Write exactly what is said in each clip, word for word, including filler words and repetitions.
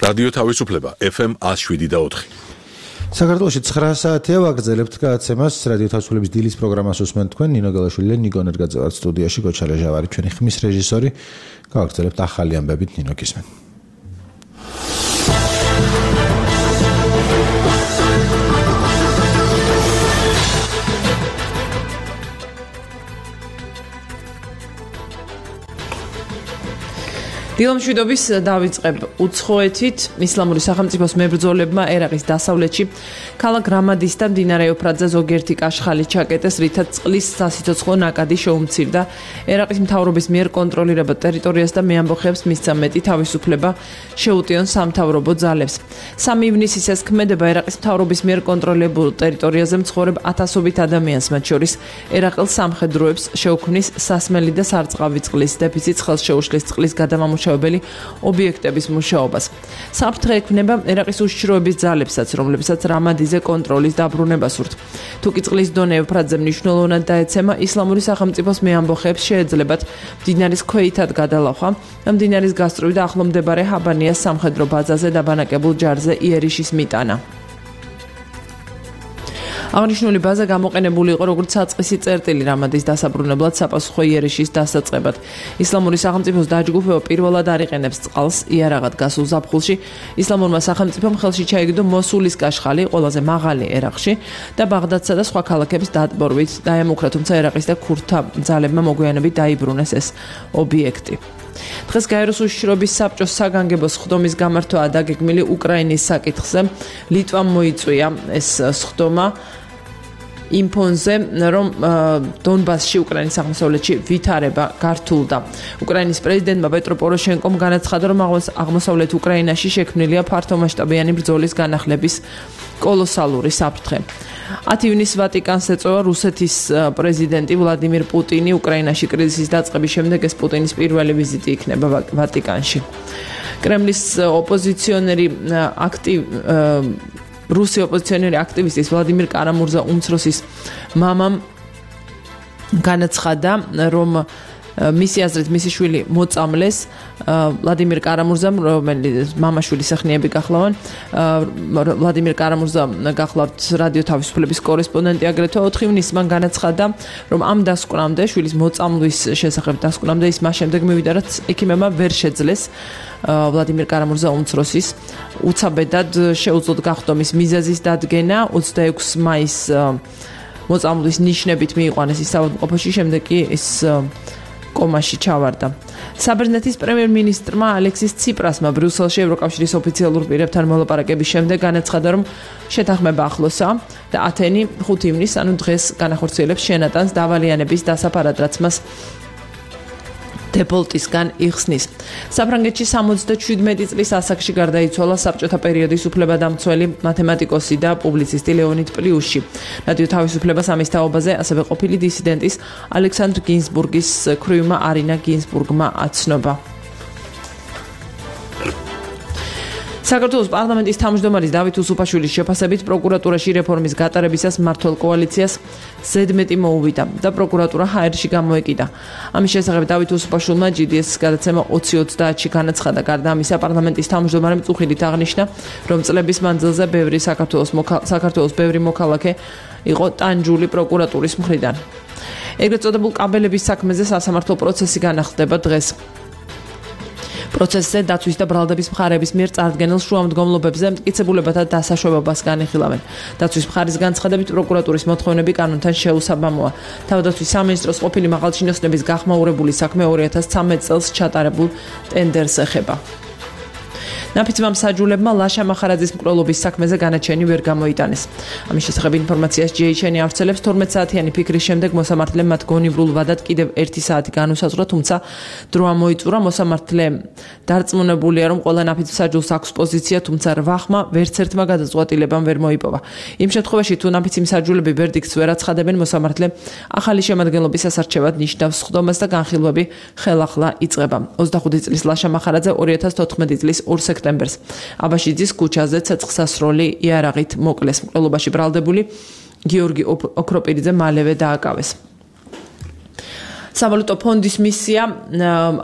რადიო თავისუფლება ეფ ემ one oh seven და four. საქართველოში nine საათია ვაგრძელებთ გადაცემას რადიო თავისუფლების დილის პროგრამას უსმენთ თქვენ ნინო გელაშვილი და ნიკო ნერგაძე ვართ სტუდიაში გოჩა ლეჟავარი ჩვენი ხმის რეჟისორი გავაგრძელებთ ახალი ამბებით ნინო გისმენ. დილამშვიდობის დავიწყებ უცხოეთით ისლამური სახელმწიფოს მებრძოლებმა ერაყის დასავლეთში ქალაქ რამადის და მდინარე ევფრატზე ზოგიერთი კაშხალი ჩაკეტეს, რითაც წყლის სასიცოცხლო ნაკადი შეუმცირდა. ერაყის მთავრობის მიერ კონტროლირებად ტერიტორიას და მეამბოხეებს მისცა მეტი თავისუფლება შეუტიონ სამთავრობო ძალებს. სამი ივნისის ეს ქმედება ერაყის მთავრობის მიერ კონტროლებულ ტერიტორიაზე მცხოვრებ ათასობით ადამიანს, მათ შორის ერაყელ სამხედროებს შეუქმნის სასმელი და სარწყავი წყლის დეფიციტს, ხელს შეუშლის წყლის გადამამუშავებელი ობიექტების მუშაობას. საფრთხე ექმნება ერაყის უშიშროების ძალებსაც, რომლებსაც რამადიზე კონტროლის დაბრუნება სურთ. თუკი წყლის დონე ევფრატზე მნიშვნელოვნად დაეცემა, ისლამური სახელმწიფოს მეამბოხეებს შეეძლებათ მდინარის ქვეითად გადალახვა და მდინარის გასწვრივ და ახლომდებარე ჰაბანიას სამხედრო ბაზაზე დაბანაკებულ ჯარზე იერიშის მიტანა. აღნიშნული ბაზა გამოყენებული იყო როგორც საწყისი წერტილი რამადის დასაბრუნებლად საპასუხო იერიშის დასაწყებად. ისლამური სახელმწიფოს დაჯგუფება პირველად არიყენებს წყალს იარაღად გასულ ზაფხულში. ისლამურმა სახელმწიფომ ხელში ჩაიგდო მოსულის კაშხალი, ყველაზე მაღალი ერაყში და ბაღდადსა და სხვა ქალაქებს დატბორვით დაემუქრა, თუმცა ერაყის და ქურთთა ძალებმა მოგვიანებით დაიბრუნეს ეს ობიექტი. დღეს გაეროს უშიშროების საბჭოს საგანგებო სხდომის გამართვა დაგეგმილი უკრაინის საკითხზე ლიტვამ მოიწვია ეს სხდომა იმ ფონზე, რომ დონბასში უკრაინის აღმოსავლეთში ვითარება გართულდა. უკრაინის პრეზიდენტმა პეტრო პოროშენკომ განაცხადა, რომ აღმოსავლეთ უკრაინაში შექმნილია ფართომასშტაბიანი ბრძოლის განახლების კოლოსალური საფრთხე. ათი ივნისს ვატიკანს ეწევა რუსეთის პრეზიდენტი ვლადიმირ პუტინი. უკრაინაში კრიზისის დაწყების შემდეგ ეს პუტინის პირველი ვიზიტი იქნება ვატიკანში. კრემლის ოპოზიციონერი აქტივ რუსი ოპოზიციონერი აქტივისტის ვლადიმირ კარამურზა უმცროსის მამამ განაცხადა, რომ მისი აზრით მისი შვილი მოწამლეს. ვლადიმირ კარამურზამ, რომელიც მამაშვილის სახნიები გახლავან, ვლადიმირ კარამურზა გახლავთ რადიო თავისუფლების კორესპონდენტი, აგრეთვე ოთხი ივნისს მან განაცხადა, რომ ამ დასკვნამდე, შვილის მოწამვლის შესახებ დასკვნამდე ის მას შემდეგ მივიდა, რაც ექიმებმა ვერ შეძლეს ვლადიმირ კარამურზა უმცროსის უცაბედად შეუძლოდ გახდომის მიზეზის დადგენა. ოცდაექვსი მაისს მოწამვლის ნიშნებით მიიყვანეს ის საავადმყოფოში, შემდეგ კი ის კომაში ჩავარდა. საბერძნეთის პრემიერ-მინისტრმა ალექსის ციპრასმა ბრიუსელში ევროკავშირის ოფიციალურ პირებთან მოლაპარაკების შემდეგ განაცხადა, რომ შეთანხმება ახლოსაა და ათენი ხუთი ივნისს, ანუ დღეს განახორციელებს შენატანს დავალიანების დასაფარად, რაც მას დეპოლტისგან იხსნის. საფრანგეთში სამოცდაშვიდმეტი წლის ასაკში გარდაიცვალა საბჭოთა პერიოდის უფლებადამცველი მათემატიკოსი და პუბლიცისტი ლეონიდ პლიუში. რადიო თავისუფლებას ამის თაობაზე ასევე ყოფილი დისიდენტის ალექსანდრ გინზბურგის ქვრივმა არინა გინზბურგმა აცნობა. საქართველოს პარლამენტის თავმჯდომარის დავით უსუფაშვილის შეფასებით პროკურატურაში რეფორმის გატარებისას მმართველ კოალიციას ზედმეტი მოუვიდა და პროკურატურა ჰაერში გამოეკიდა. ამის შესახებ დავით უსუფაშვილმა ჯი დი ეს-ის გადაცემა ოცი ოცდაათში განაცხადა. გარდა ამისა, პარლამენტის თავმჯდომარემ წუხილით აღნიშნა, რომ წლების მანძილზე ბევრი საქართველოს საქართველოს ბევრი მოქალაქე იყო ტანჯული პროკურატურის მხრიდან. ეგრეთ წოდებულ კაბელების საქმეზე სასამართლო პროცესი განახლდება დღეს. პროცესზე დაცვის და ბრალდების მხარეების მიერ წარდგენილ შუამდგომლობებზე მტკიცებულებათა დასაშვებობას განიხილავენ. დაცვის მხარის განცხადებით პროკურატურის მოთხოვნები კანონთან შეუსაბამოა. თავდაცვის სამინისტროს ყოფილი მაღალჩინოსნების გახმაურებული საქმე ორი ათას ცხრამეტ წელს ჩატარებულ ტენდერს ეხება. ნაფიცმა მსაჯულებმა ლაშა მახარაძის მკვლელობის საქმეზე განაჩენი ვერ გამოიტანეს. ამის შესახებ ინფორმაციას ჯი ეიჩ ენი ავრცელებს. თორმეტ საათიანი ფიქრის შემდეგ მოსამართლემ მათ გონივრულ ვადად კიდევ ერთი საათი განუსაზღვრა, თუმცა დრო ამოიწურა. მოსამართლე დარწმუნებულია, რომ ყველა ნაფიც მსაჯულს აქვს პოზიცია, თუმცა რვა ხმა ვერც ერთმა გადაწყვეტილებამ ვერ მოიპოვა. იმ შემთხვევაში, თუ ნაფიცი მსაჯულები ვერდიქტს ვერ აცხადებენ, მოსამართლე ახალი შემადგენლობის ასარჩევად ნიშნავს სხდომას და განხილვები ხელახლა იწყება. ოცდახუთი წლის ლაშა მახარაძე ორი ათას თოთხმეტი წლის ორ სექტემბერს აბაშიძის ქუჩაზე ცეცხლსასროლი იარაღით მოკლეს. მკვლელობაში ბრალდებული გიორგი ოქროპირიძე მალევე დააკავეს. სავალუტო ფონდის მისია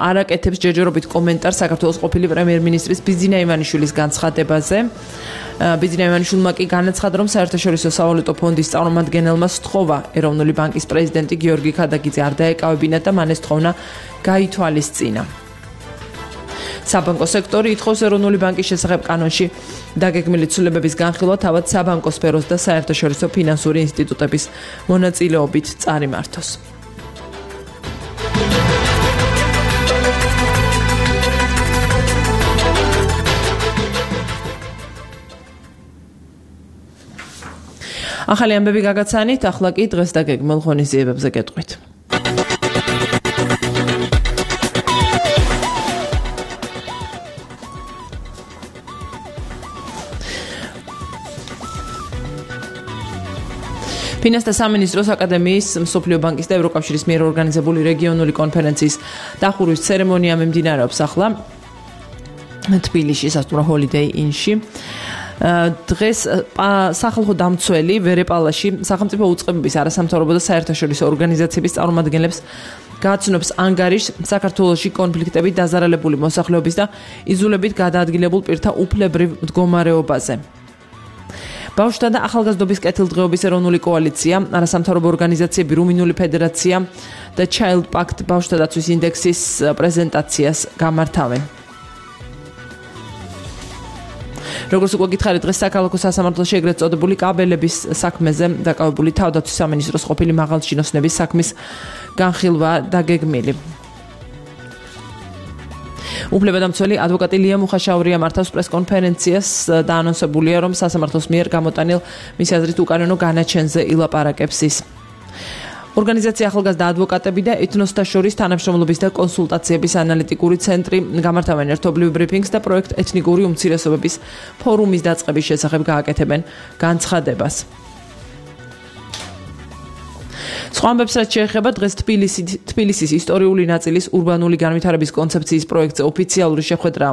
არაკეთებს ჯერჯერობით კომენტარს საქართველოს ყოფილი პრემიერ-მინისტრის ბიძინა ივანიშვილის განცხადებაზე. ბიძინა ივანიშვილმა კი განაცხადა, რომ საერთაშორისო სავალუტო ფონდის წარმომადგენელმა სთხოვა ეროვნული ბანკის პრეზიდენტი გიორგი ქადაგიძე არ დაეკავებინა და მან ეს თხოვნა გაითვალისწინა. საბანკო სექტორი ითხოვს ეროვნული ბანკის შესახებ კანონში დაგეგმილი ცვლილებების განხილვა თავად საბანკო სფეროს და საერთაშორისო ფინანსური ინსტიტუტების მონაწილეობით წარიმართოს. ახალი ამბები გაგაცანით, ახლა კი დღეს დაგეგმილ ღონისძიებებზე გეტყვით. ფინანსთა სამინისტროს აკადემიის, მსოფლიო ბანკის და ევროკავშირის მიერ ორგანიზებული რეგიონული კონფერენციის დახურვის ცერემონია მიმდინარეობს ახლა თბილისში, სასტუმრო Holiday Inn-ში. დღეს სახალხო დამცველი ვერეპალაში სახელმწიფო უწყებების არასამთავრობო და საერთაშორისო ორგანიზაციების წარმომადგენლებს გააცნობს ანგარიშს საქართველოში კონფლიქტებით დაზარალებული მოსახლეობის და იზოლებით გადაადგილებულ პირთა უფლებრივ მდგომარეობაზე. ბავშვთა და ახალგაზრდობის კეთილდღეობის ეროვნული კოალიცია, არასამთავრობო ორგანიზაციები, რუმინული ფედერაცია და Child Pact ბავშვთა დაცვის ინდექსის პრეზენტაციას გამართავენ. როგორც უკვე გითხარით, დღეს საქალაქო სასამართლოში ეგრეთ წოდებული კაბელების საქმეზე დაკავებული თავდაცვის სამინისტროს ყოფილი მაღალჩინოსნების საქმის განხილვა დაგეგმილი. უფლებადამცველი ადვოკატი ლია მუხაშაურია მართავს პრესკონფერენციას და ანონსებულია, რომ სასამართლოს მიერ გამოტანილ მისი აზრით უკანონო განაჩენზე ილაპარაკებს ის. ორგანიზაცია ახალგაზრდა ადვოკატები და ეთნოსთა შორის თანამშრომლობის და კონსულტაციების ანალიტიკური ცენტრი გამართავენ ერთობლივ ბრიფინგს და პროექტ ეთნიკური უმცირესობების ფორუმის დაწყების შესახებ გააკეთებენ განცხადებას. სხვა ამბებს რაც შეეხება დღეს თბილისის ისტორიული ნაწილის ურბანული განვითარების კონცეფციის პროექტზე ოფიციალური შეხვედრა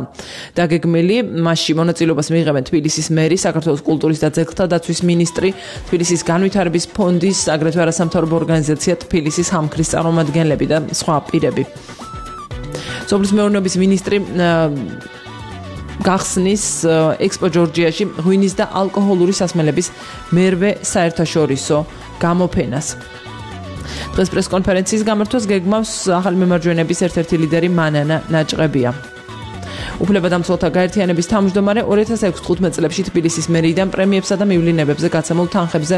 დაგეგმილი. მასში მონაწილეობას მიიღებენ თბილისის მერი, საქართველოს კულტურის და ძეგლთა დაცვის მინისტრი, თბილისის განვითარების ფონდის, აგრეთვე არასამთავრობო ორგანიზაცია თბილისის ჰამქრის წარმომადგენლები და სხვა პირები. სოფლის მეურნეობის მინისტრი გახსნის ექსპო ჯორჯიაში ღვინის და ალკოჰოლური სასმელების მერვე საერთაშორისო გამოფენას. დღეს პრესკონფერენციის გამართვას გეგმავს ახალი მემარჯვენეების ერთ-ერთი ლიდერი მანანა ნაჭყებია. უფლებადამცველთა გაერთიანების თავმჯდომარე ორი ათას ექვსმეტ წლებში თბილისის მერიიდან პრემიებსა და მივლინებებზე გაცემულ თანხებზე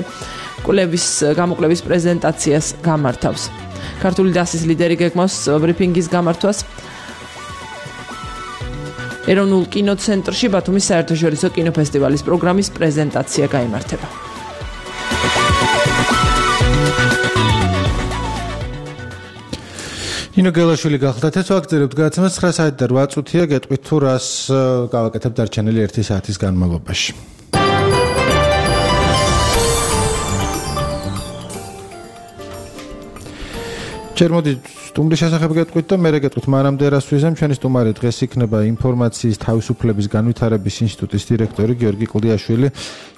კვლევის გამოკვლევის პრეზენტაციას გამართავს. ქართული დასის ლიდერი გეგმავს ბრიფინგის გამართვას ეროვნულ კინოცენტრში ბათუმის საერთაშორისო კინოფესტივალის პროგრამის პრეზენტაცია გაიმართება. ინო გელაშვილი გახლდათ ეს ვაგრძელებთ გადაცემას ცხრა საათი და რვა წუთია გეტყვით თუ რას გავაკეთებთ დარჩენილი ერთი საათის განმავლობაში. ჯერ მოდი სტუმრის შესახებ გეტყვით და მერე გეტყვით მანამდე რას ვიზამ. ჩვენი სტუმარი დღეს იქნება ინფორმაციის თავისუფლების განვითარების ინსტიტუტის დირექტორი გიორგი კლდიაშვილი.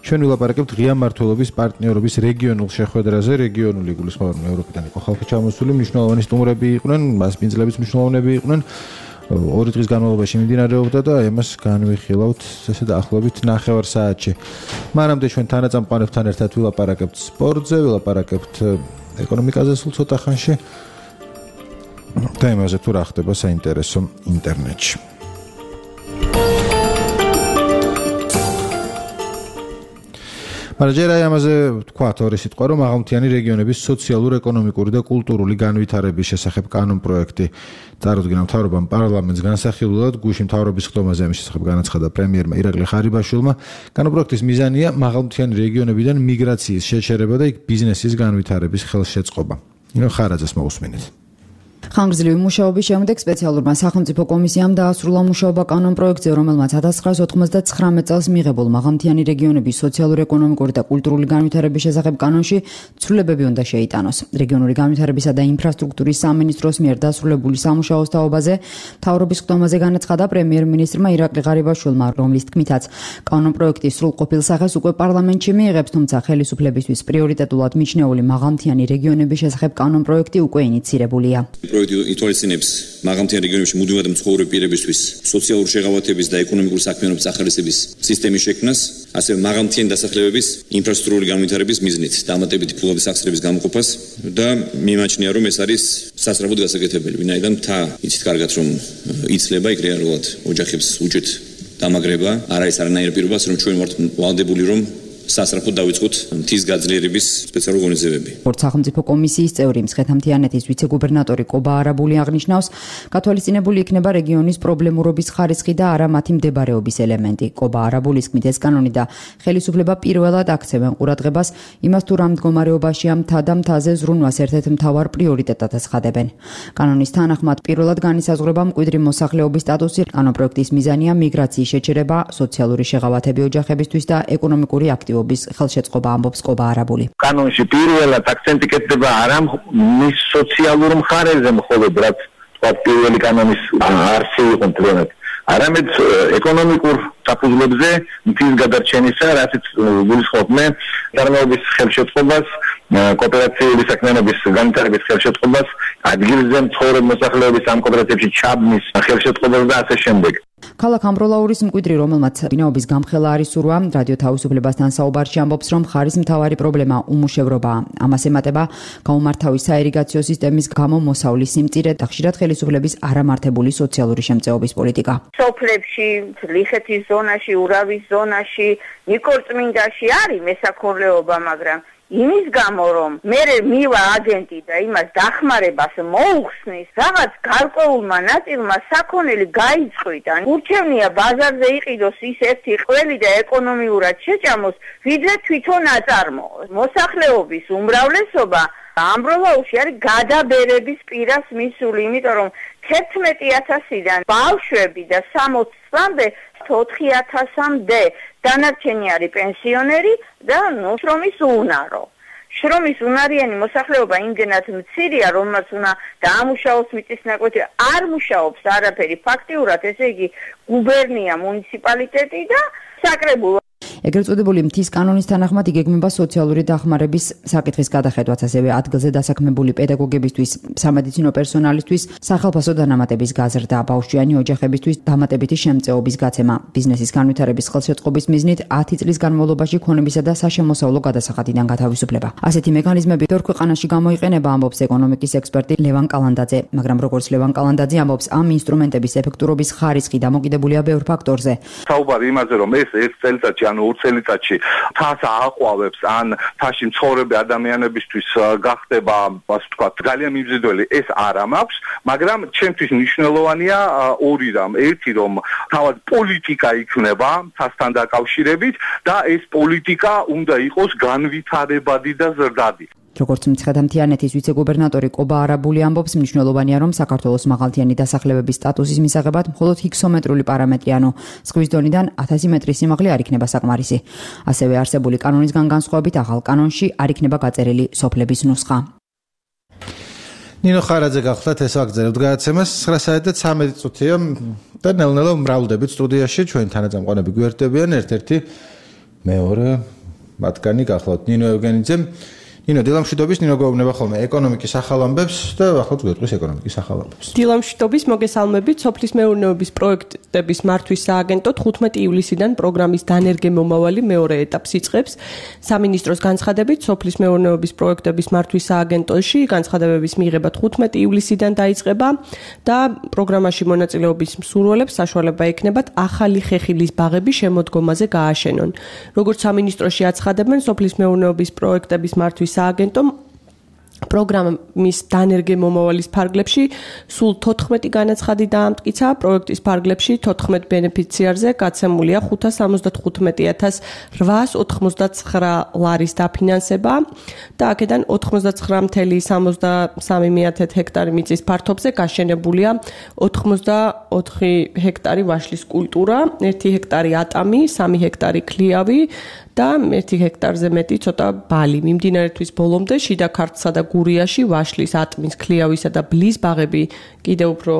ჩვენ ვილაპარაკებთ ღია მმართველობის პარტნიორობის რეგიონულ შეხვედრაზე. რეგიონული გულისხმობა ევროპიდან იყო ხალხი ჩამოსული, მნიშვნელოვანი სტუმრები იყვნენ, მასპინძლების მნიშვნელოვნები იყვნენ. ორი დღის განმავლობაში მიმდინარეობდა და ამას განვიხილავთ ესე დაახლოებით ნახევარ საათში. მანამდე ჩვენ თანაწამყვანებთან ერთად ვილაპარაკებთ სპორტზე, ვილაპარაკებთ ეკონომიკაზე სულ ცოტა ხანში. და იმაზე თუ რა ხდება საინტერესო ინტერნეტში. მაგრამ ჯერ აი ამაზე ვთქვათ ორი სიტყვა, რომ აღამთიანი რეგიონების სოციალურ-ეკონომიკური და კულტურული განვითარების შესახებ კანონ-პროექტი წარუდგინა მთავრობამ პარლამენტს განსახილულად, გუშინ მთავრობის ხდომაზე ამის შესახებ განაცხადა პრემიერმა ირაკლი ხარიბაშვილმა. კანონ-პროექტის მიზანია მაღალმთიანი რეგიონებიდან მიგრაციის შეჩერება და იქ ბიზნესის განვითარების ხელშეწყობა. ინო ხარაძეს მოусმინეთ. ხანგრძლივი მუშაობის შემდეგ სპეციალურმა სახელმწიფო კომისიამ დაასრულა მუშაობა კანონპროექტზე, რომელმაც ათას ცხრაას ოთხმოცდათცხრამეტ წელს მიღებულ მაღალმთიანი რეგიონების სოციალურ-ეკონომიკური და კულტურული განვითარების შესახებ კანონში ცვლილებები უნდა შეიტანოს. რეგიონული განვითარებისა და ინფრასტრუქტურის სამინისტროს მიერ დასრულებული სამუშაოს თაობაზე მთავრობის ხდომაზე განაცხადა პრემიერ-მინისტრმა ირაკლი ღარიბაშვილმა, რომლის თქმითაც კანონპროექტის სრულყოფილ სახეს უკვე პარლამენტში მიიღებს, თუმცა ხელისუფლებისთვის პრიორიტეტულად მიჩნეული მაღალმთიანი რეგიონების შესახებ კანონპროექტი უკვე ინიცირებულია. ითვალისწინებს მაღალმთიან რეგიონებში მუდმივად მცხოვრები პირებისთვის სოციალური შეღავათების და ეკონომიკური საქმიანობის ახალისების სისტემის შექმნას, ასევე მაღალმთიანი დასახლებების ინფრასტრუქტურული განვითარების მიზნით დამატებითი ფულობის სახსრების გამოყოფას და მიმაჩნია, რომ ეს არის სასწრაფოდ გასაკეთებელი, ვინაიდან მთა იცით კარგად, რომ იცლება იქ რეალურად ოჯახებს უჭირთ დამაგრება, არ არის არანაირი პირობას, რომ ჩვენ ვართ ვალდებული, რომ სასწრაფოდ დავიწყოთ მთის გაძლიერების სპეციალური ღონისძიებები. სახელმწიფო კომისიის წევრი მცხეთა-მთიანეთის ვიცე-გუბერნატორი კობა არაბული აღნიშნავს, გათვალისწინებული იქნება რეგიონის პრობლემურობის ხარისხი და არა მათი მდებარეობის ელემენტი. კობა არაბულის თქმით, ეს კანონი და ხელისუფლება პირველად აქცევენ ყურადღებას იმას, თუ რა მდგომარეობაშია მთა და მთაზე ზრუნვას ერთ-ერთ მთავარ პრიორიტეტად აცხადებენ. კანონის თანახმად პირველად განისაზღვრება მკვიდრი მოსახლეობის სტატუსი. კანონპროექტის მიზანია მიგრაციის შეჩერება, სოციალური შეღავათები ოჯახებისთვის და ეკონომიკური აქტივობა ხელშეწყობა, ამბობს კობა არაბული. კანონში პირველად აქცენტი კეთდება არა მის სოციალურ მხარეზე მხოლოდ, რაც თქვა პირველი კანონის არსი იყო მთლიანად, არამედ ეკონომიკურ საფუძვლებზე მთის გადარჩენისა, რასაც გულისხმობდნენ წარმოების ხელშეწყობას, კოოპერაციული საქმიანობის განვითარების ხელშეწყობას, ადგილზე მცხოვრებ მოსახლეობის ამ კოოპერაციებში ჩაბმის ხელშეწყობას და ასე შემდეგ. ქალაქ ამბროლაურის მკვიდრი, რომელმაც ბინაობის გამხელა არის სურვა, რადიო თავისუფლებასთან საუბარში ამბობს, რომ ხარის მთავარი პრობლემა უმუშევრობაა. ამას ემატება გაუმართავი საირიგაციო სისტემის გამო მოსავლის სიმწირე და ხშირად ხელისუფლების არამართებული სოციალური შემწეობის პოლიტიკა. სოფლებში, ლიხეთის ზონაში, ურავის ზონაში, ნიკორწმინდაში არის მესაქონლეობა, მაგრამ იმის გამო, რომ მე მივა აგენტი და იმას დახმარებას მოუხსნის, რაღაც გარკვეულმა ნაწილმა საქონელი გაიწყვიტა. ურჩევნია ბაზარზე იყიდოს ის ერთი ყველი და ეკონომიურად შეჭამოს, ვიდრე თვითონ აწარმოოს. მოსახლეობის უმრავლესობა ამბროლაურში არის გადაბერების პირას მისული, იმიტომ რომ თერთმეტი ათასიდან ბავშვები და სამოცამდე ოთხი ათასამდე დანარჩენი არის პენსიონერი და ნუ შრომის უნარო. შრომის უნარიანი მოსახლეობა იმდენად მცირეა, რომელსაც უნდა დაამუშაოს მიწის ნაკვეთი, არ მუშაობს არაფერი ფაქტიურად, ესე იგი გუბერნია, მუნიციპალიტეტი და საკრებულო. ეგრეთ წოდებული მთის კანონის თანახმად იგეგმება სოციალური დახმარების საკითხის გადახედვაც, ასევე ადგილზე დასაქმებული პედაგოგებისთვის, სამედიცინო პერსონალისთვის, სახალხო დანამატების გაზრდა, ბავშვიანი ოჯახებისთვის დამატებითი შემწეობის გაცემა, ბიზნესის განვითარების ხელშეწყობის მიზნით ათი წლის განმავლობაში ქონებისა და საშემოსავლო გადასახადიდან გათავისუფლება. ასეთი მექანიზმები ბევრ ქვეყანაში გამოიყენება, ამბობს ეკონომიკის ექსპერტი ლევან კალანდაძე, მაგრამ როგორც ლევან კალანდაძე ამბობს, ამ ინსტრუმენტების ეფექტურობის ხარისხი დამოკიდებულია ბევრ ფაქტორზე. საუბარი იმაზე, რომ ეს ერთ წელიწადში ანუ ორ წელიწადში თას ააყვავებს ან თაში მცხოვრები ადამიანებისთვის გახდება, ასე ვთქვათ, ძალიან მიმზიდველი, ეს არ ამაქვს, მაგრამ ჩემთვის მნიშვნელოვანია ორი რამ. ერთი, რომ თავად პოლიტიკა იქნება თასთან დაკავშირებით და ეს პოლიტიკა უნდა იყოს განვითარებადი და ზრდადი. როგორც მცხეთა-მთიანეთის ვიცე-გუბერნატორი კობა არაბული ამბობს, მნიშვნელოვანია, რომ საქართველოს მაღალმთიანი დასახლებების სტატუსის მისაღებად მხოლოდ ჰიქსომეტრული პარამეტრი, ანუ ზღვის დონიდან ათასი მეტრის სიმაღლე არ იქნება საკმარისი. ასევე არსებული კანონისგან განსხვავებით ახალ კანონში არ იქნება გაწერილი სოფლების ნუსხა. ნინო ხარაძე გახლდათ, ეს ვაგრძელებთ გადაცემას ცხრა საათი და ცამეტი წუთია და ნელ-ნელა მრავლდებით სტუდიაში, ჩვენი თანაწამყვანები გვერდებიან, ერთ-ერთი მეორე მათგანი გახლავთ ნინო ევგენიძე. ნინო დილამშვიდობის, ნინო გვეუბნება ხოლმე ეკონომიკის ახალ ამბებს და ახლა გვეტყვის ეკონომიკის ახალ ამბებს. დილამშვიდობის, მოგესალმებით. სოფლის მეურნეობის პროექტების მართვის სააგენტო თხუთმეტი ივლისიდან პროგრამის დანერგე მომავალი მეორე ეტაპს იწყებს. სამინისტროს განცხადებით, სოფლის მეურნეობის პროექტების მართვის სააგენტოში განცხადებების მიღება თხუთმეტი ივლისიდან დაიწყება და პროგრამაში მონაწილეობის მსურველებს საშუალება ექნებათ ახალი ხეხილის ბაღები შემოდგომაზე გააშენონ. როგორც სამინისტროში აცხადებენ, სოფლის მეურნეობის პროექტების მართვის სააგენტომ პროგრამის დანერგე მომავალის ფარგლებში სულ თოთხმეტი განაცხადი დაამტკიცა, პროექტის ფარგლებში თოთხმეტ ბენეფიციარზე გაცემულია ხუთას ორმოცდახუთმეტი ათას რვაას ოთხმოცდაცხრა ლარის დაფინანსება და აქედან ოთხმოცდაცხრა მცდროული სამოცდასამი ჰექტარი მიწის ფართობზე გაშენებულია ოთხმოცდაოთხი ჰექტარი ვაშლის კულტურა, ერთი ჰექტარი ატამი, სამი ჰექტარი ქლიავი და ერთი ჰექტარზე მეტი ცოტა ბალი. მიმდინარე თვის ბოლომდე შიდა ქართლსა და გურიაში ვაშლის, ატმის, ქლიავისა და ბლის ბაღები კიდევ უფრო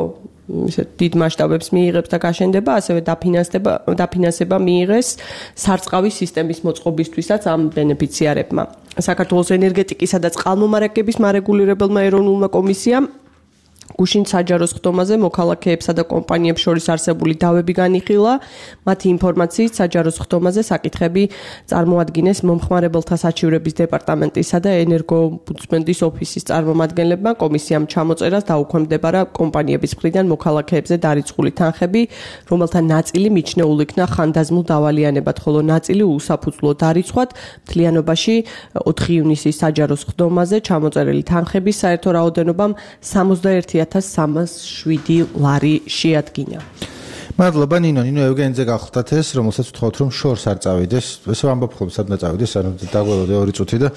ისეთ დიდ მასშტაბებს მიიღებს და გაშენდება, ასევე დაფინანსება დაფინანსება მიიღეს სარწყავი სისტემის მოწყობისთვისაც ამ ბენეფიციარებმა. საქართველოს ენერგეტიკისა და წყალმომარაგების მარეგულირებელმა ეროვნულმა კომისიამ გუშინ საჯარო სხდომაზე მოქალაქეებსა და კომპანიებს შორის არსებული დავები განიხილა. მათი ინფორმაციით საჯარო სხდომაზე საკითხები წარმოადგინეს მომხმარებელთა საჩივრების დეპარტამენტისა და ენერგოომბუდსმენის ოფისის წარმომადგენლებმა. კომისიამ ჩამოწერას დაუქვემდებარა კომპანიების მხრიდან მოქალაქეებზე დარიცხული თანხები, რომელთა ნაწილი მიჩნეულ იქნა ხანდაზმულ დავალიანებად, ხოლო ნაწილი უსაფუძვლო დარიცხვად. მთლიანობაში ოთხი ივნისის საჯარო სხდომაზე ჩამოწერილი თანხების საერთო რაოდენობამ სამოცდაერთი ათას სამას შვიდი ლარი შეადგინა. მადლობა ნინო, ნინო ევგენიძე გახლდათ ეს, რომელსაც ვთხოვთ რომ შორს არ წავიდეს. ესე ვამბობ ხოლმე სადღაც წავიდეს, ანუ დაგველოდე ორი წუთი და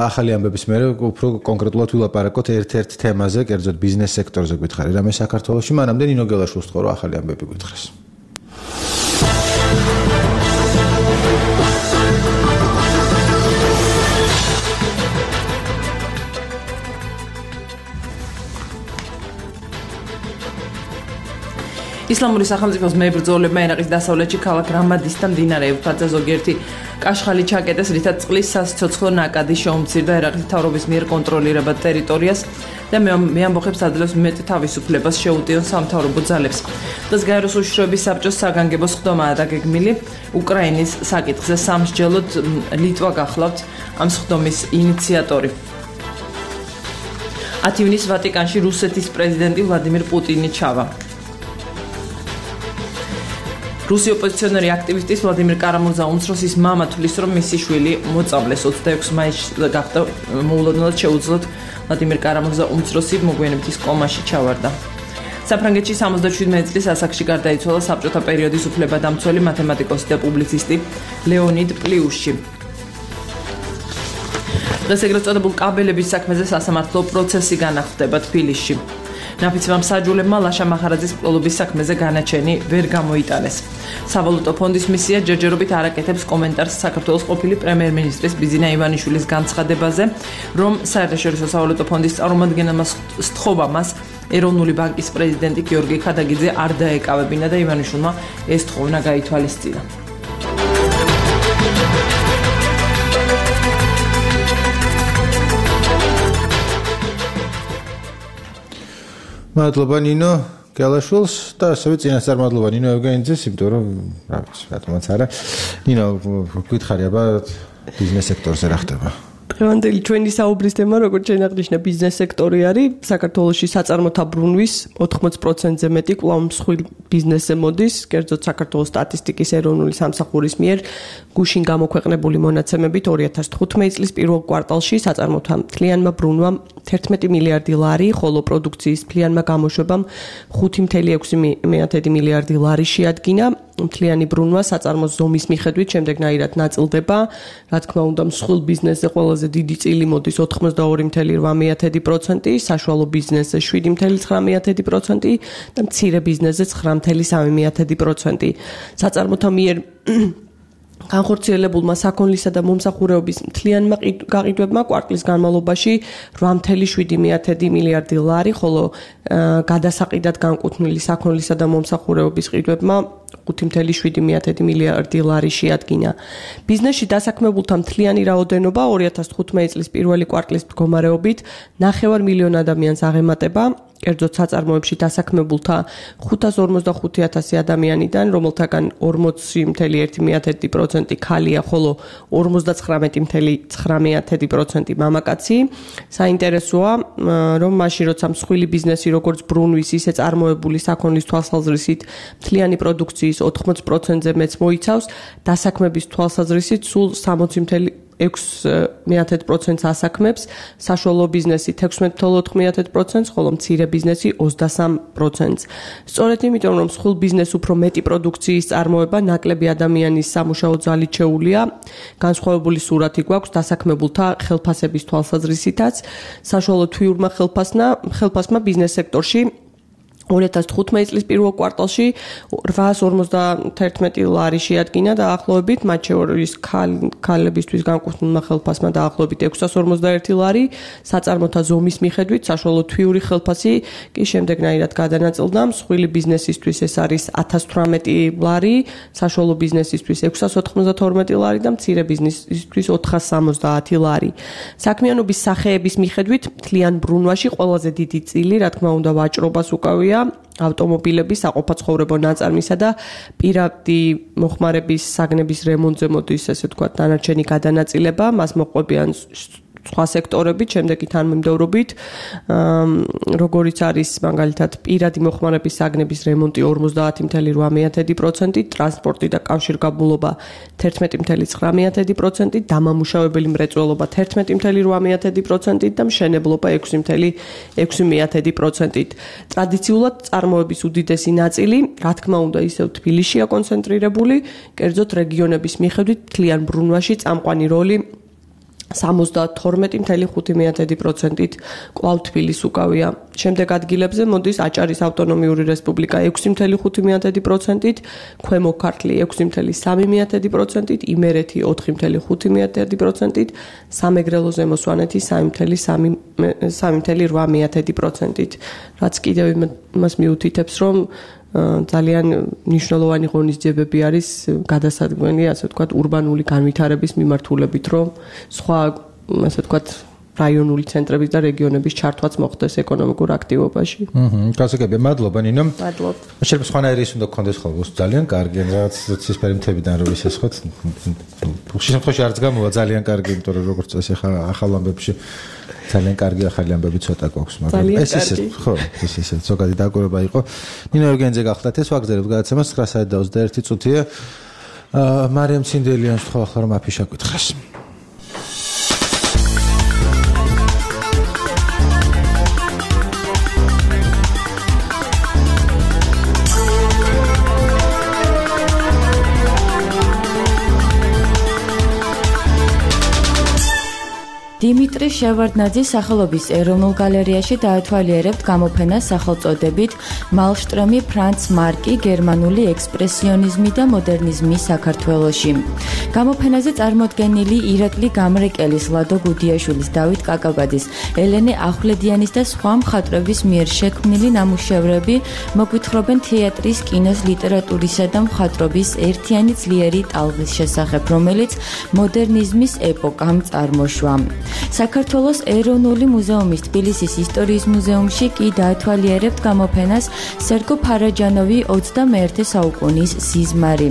ახალი ამბების მერე უფრო კონკრეტულად ვილაპარაკოთ ერთ-ერთ თემაზე, კერძოდ ბიზნეს სექტორზე გითხარი, რამე საქართველოში, მანამდე ნინო გელაშვილს ვთხოვ რომ ახალი ამბები გითხრას. ისლამური სახელმწიფოს მებრძოლებმა ერაყის დასავლეთში ქალაქ რამადის და მდინარე ევფრატზე ზოგიერთი კაშხალი ჩაკეტეს, რითაც წყლის სასიცოცხლო ნაკადი შეუმცირდა ერაყის მთავრობის მიერ კონტროლირებად ტერიტორიას და მეამბოხებს აძლევს მეტ თავისუფლებას შეუტიონ სამთავრობო ძალებს. დღეს გაეროს უშიშროების საბჭოს საგანგებო სხდომაა დაგეგმილი უკრაინის საკითხზე. სამსჯელოდ ლიტვა გახლავთ ამ სხდომის ინიციატორი. ათი ივნისს ვატიკანში რუსეთის პრეზიდენტი ვლადიმირ პუტინი ჩავა. რუსი ოპოზიციონერი აქტივისტის ვლადიმირ კარამურზა უმცროსის მამა თვლის, რომ მისი შვილი მოწამლეს. ოცდაექვსი მაისს გახდა მოულოდნელად შეუძლოდ ვლადიმირ კარამურზა უმცროსი მოგვიანებით ის კომაში ჩავარდა. საფრანგეთში სამოცდაშვიდმეტი წლის ასაკში გარდაიცვალა საბჭოთა პერიოდის უფლებადამცველი მათემატიკოსი და პუბლიცისტი ლეონიდ პლიუში. დღეს ეგრეთ წოდებულ კაბელების საქმეზე სასამართლო პროცესი განახლდება თბილისში. ნაფიცმა მსაჯულებმა ლაშა მახარაძის მკვლელობის საქმეზე განაჩენი ვერ გამოიტანეს. სავალუტო ფონდის მისია ჯერჯერობით არ აკეთებს კომენტარს საქართველოს ყოფილი პრემიერ-მინისტრის ბიზინა ივანიშვილის განცხადებაზე, რომ საერთაშორისო სავალუტო ფონდის წარმომადგენელმა სთხოვა მას ეროვნული ბანკის პრეზიდენტი გიორგი ხადაგიძე არ დაეკავებინა და ივანიშვილმა ეს თხოვნა გაითვალისწინა. მადლობა ნინო გელაშვილს და ასევე წინასწარ მადლობა ნინო ევგენიძეს, იმიტომ რომ რა ვიცი, რატომაც არა. ნინო, გითხარი აბა ბიზნეს სექტორზე რა ხდება? დღევანდელი ჩვენი საუბრის თემა, როგორც შეაღნიშნა, ბიზნეს სექტორი არის. საქართველოში საწარმოთა ბრუნვის ოთხმოც პროცენტზე მეტი კვლავ მსხვილ ბიზნესზე მოდის, კერძოდ საქართველოს სტატისტიკის ეროვნული სამსახურის მიერ გუშინ გამოქვეყნებული მონაცემებით ორი ათას თხუთმეტი წლის პირველ კვარტალში საწარმოთა მთლიანმა ბრუნვამ თერთმეტი მილიარდი ლარი, ხოლო პროდუქციის მთლიანმა გამოშვებამ ხუთი კoma ექვსი მილიარდი ლარი შეადგინა. მთლიანი ბრუნვა საწარმოს ზომის მიხედვით შემდეგნაირად ნაწილდება. რა თქმა უნდა, მსხვილ ბიზნესზე ყველაზე დიდი წილი მოდის ოთხმოცდაორი კoma რვა პროცენტი, საშუალო ბიზნესზე შვიდი კoma ცხრა პროცენტი და მცირე ბიზნესზე ცხრა კoma სამი პროცენტი. საწარმოთა მიერ განხორციელებულმა საქონლისა და მომსახურების მთლიანმა გაყიდვებმა კვარტლის განმავლობაში რვა კoma შვიდი მილიარდი ლარი, ხოლო გადასაყიდად განკუთვნილი საქონლისა და მომსახურების ყიდვებმა ხუთი კoma შვიდი მილიარდი ლარი შეადგინა. ბიზნესში დასაქმებულთა მთლიანი რაოდენობა ორი ათას თხუთმეტი წლის პირველი კვარტლის მდგომარეობით ნახევარ მილიონ ადამიანს აღემატება. კერძოდ საწარმოებში დასაქმებულთა ხუთას ორმოცდახუთი ათასი ადამიანიდან, რომელთაგან ორმოცი კoma ერთი პროცენტი ქალია, ხოლო ორმოცდაცხრამეტი კoma ცხრა პროცენტი მამაკაცი. საინტერესოა, რომ მაშინ როცა მსხვილი ბიზნესი როგორც ბრუნვის, ისე წარმოებული საქონლის თვალსაზრისით მთლიანი პროდუქციის ოთხმოც პროცენტზე მეც მოიცავს, დასაქმების თვალსაზრისით სულ სამოცი კoma ექვსი მეთერთმეტ პროცენტს ასაქმებს, საშუალო ბიზნესი თექვსმეტ თვლა ოთხ პროცენტს, ხოლო მცირე ბიზნესი ოცდასამ პროცენტს. სწორედ იმიტომ, რომ მსხვილ ბიზნესს უფრო მეტი პროდუქციის წარმოება, ნაკლები ადამიანის სამუშაო ძალით შეუულია, განსხვავებული სურათი გვაქვს დასაქმებულთა ხელფასების თვალსაზრისითაც, საშუალო თვიურმა ხელფასმა, ხელფასმა ბიზნეს სექტორში ორი ათას თხუთმეტი წლის პირველ კვარტალში რვაას ორმოცდაათი ლარი შეადგინა და დაახლოებით მათ შორის ქალებისთვის განკუთვნილმა ხელფასმა დაახლოებით ექვსას ორმოცდაერთი ლარი, საწარმოთა ზომის მიხედვით საშუალო თვიური ხელფასი კი შემდეგნაირად გადანაწილდა, მსხვილი ბიზნესისთვის ეს არის ათას თვრამეტი ლარი, საშუალო ბიზნესისთვის ექვსას ოთხმოცდათორმეტი ლარი და მცირე ბიზნესისთვის ოთხას სამოცდაათი ლარი. საქმიანობის სახეების მიხედვით მთლიან ბრუნვაში ყველაზე დიდი წილი, რა თქმა უნდა, ვაჭრობას უკავია, ავტომობილების, საყოფაცხოვრებო ნაწარმისა და პირადი მოხმარების საგნების რემონტზე მოდის, ესე ვთქვათ, დანარჩენი გადანაწილება, მას მოყვებიან სხვა სექტორებით, შემდეგი თანმიმდევრობით, როგორიც არის მაგალითად პირადი მოხმარების საგნების რემონტი ორმოცდაათი წუთი ოთხ პროცენტი, ტრანსპორტი და კავშირგაბმულობა თერთმეტი წუთი ცხრამეტი პროცენტი, დამამუშავებელი მრეწველობა თერთმეტი წუთი ორმოცდაათი პროცენტი და მშენებლობა ექვსი წუთი ექვსი პროცენტი. ტრადიციულად წარმოების უდიდესი ნაწილი, რა თქმა უნდა, ისევ თბილისშია კონცენტრირებული, კერძოდ რეგიონების მიხედვით მთლიან ბრუნვაში წამყვანი როლი სამოცდათორმეტი წუთი ხუთი პროცენტით კვლავ თბილისს უკავია. შემდეგ ადგილებზე მოდის აჭარის ავტონომიური რესპუბლიკა ექვსი წუთი ხუთი პროცენტით, ქვემო ქართლი ექვსი წუთი სამი პროცენტით, იმერეთი ოთხი წუთი ხუთი პროცენტით, სამეგრელო ზემო სვანეთი სამი წუთი რვა პროცენტით. რაც კიდევ იმას მიუთითებს, რომ ძალიან მნიშვნელოვანი ღონისძიებები არის გადასადგმელი, ასე ვთქვათ, ურბანული განვითარების მიმართულებით, რომ სხვა, ასე ვთქვათ, რაიონული ცენტრების და რეგიონების ჩართვაც მოხდეს ეკონომიკურ აქტივობაში. აჰა, გასაგებია, მადლობა ნინო. მადლობა. შეიძლება სხვანაირი ის უნდა გქონდეს ხოლმე ძალიან კარგი, რაღაც ცისფერი მთებიდან რო ისესხოთ. შემთხვევაში არც გამოვა ძალიან კარგი, იმიტომ რომ როგორც წესი ახლა ახალ ამბებში ძალიან კარგი ახალი ამბები ცოტა გვაქვს, მაგრამ ეს ისე, ხო, ეს ისე ზოგადი დაკვირვება იყო. ნინო ორგანიზე გახლდათ ეს ვაგზალებთ გადაცემას ცხრა საათი და ოცდაერთი წუთია. აა მარიამ ცინდელიანს თქვა ახლა რომ აფიშა გითხეს. დიმიტრი შევარდნაძის სახელობის ეროვნულ გალერეაში დაათვალიერებთ გამოფენას სახელწოდებით მალშტრომი ფრანც მარკი გერმანული ექსპრესიონიზმი და მოდერნიზმი საქართველოში. გამოფენაზე წარმოდგენილი ირაკლი გამრეკელის, ლადო გუდიაშვილის, დავით კაკაბაძის, ელენე ახვლედიანის და სხვა მხატვრების მიერ შექმნილი ნამუშევრები მოგვითხრობენ თეატრის, კინოს, ლიტერატურისა და მხატვრობის ერთიანი ძლიერი ტალღის შესახებ, რომელიც მოდერნიზმის ეპოქამ წარმოშვა. საქართველოს ეროვნული მუზეუმის თბილისის ისტორიის მუზეუმში კი დაათვალიერებთ გამოფენას სერგო ფარაჯანოვი ოცდამეერთე საუკუნის სიზმარი.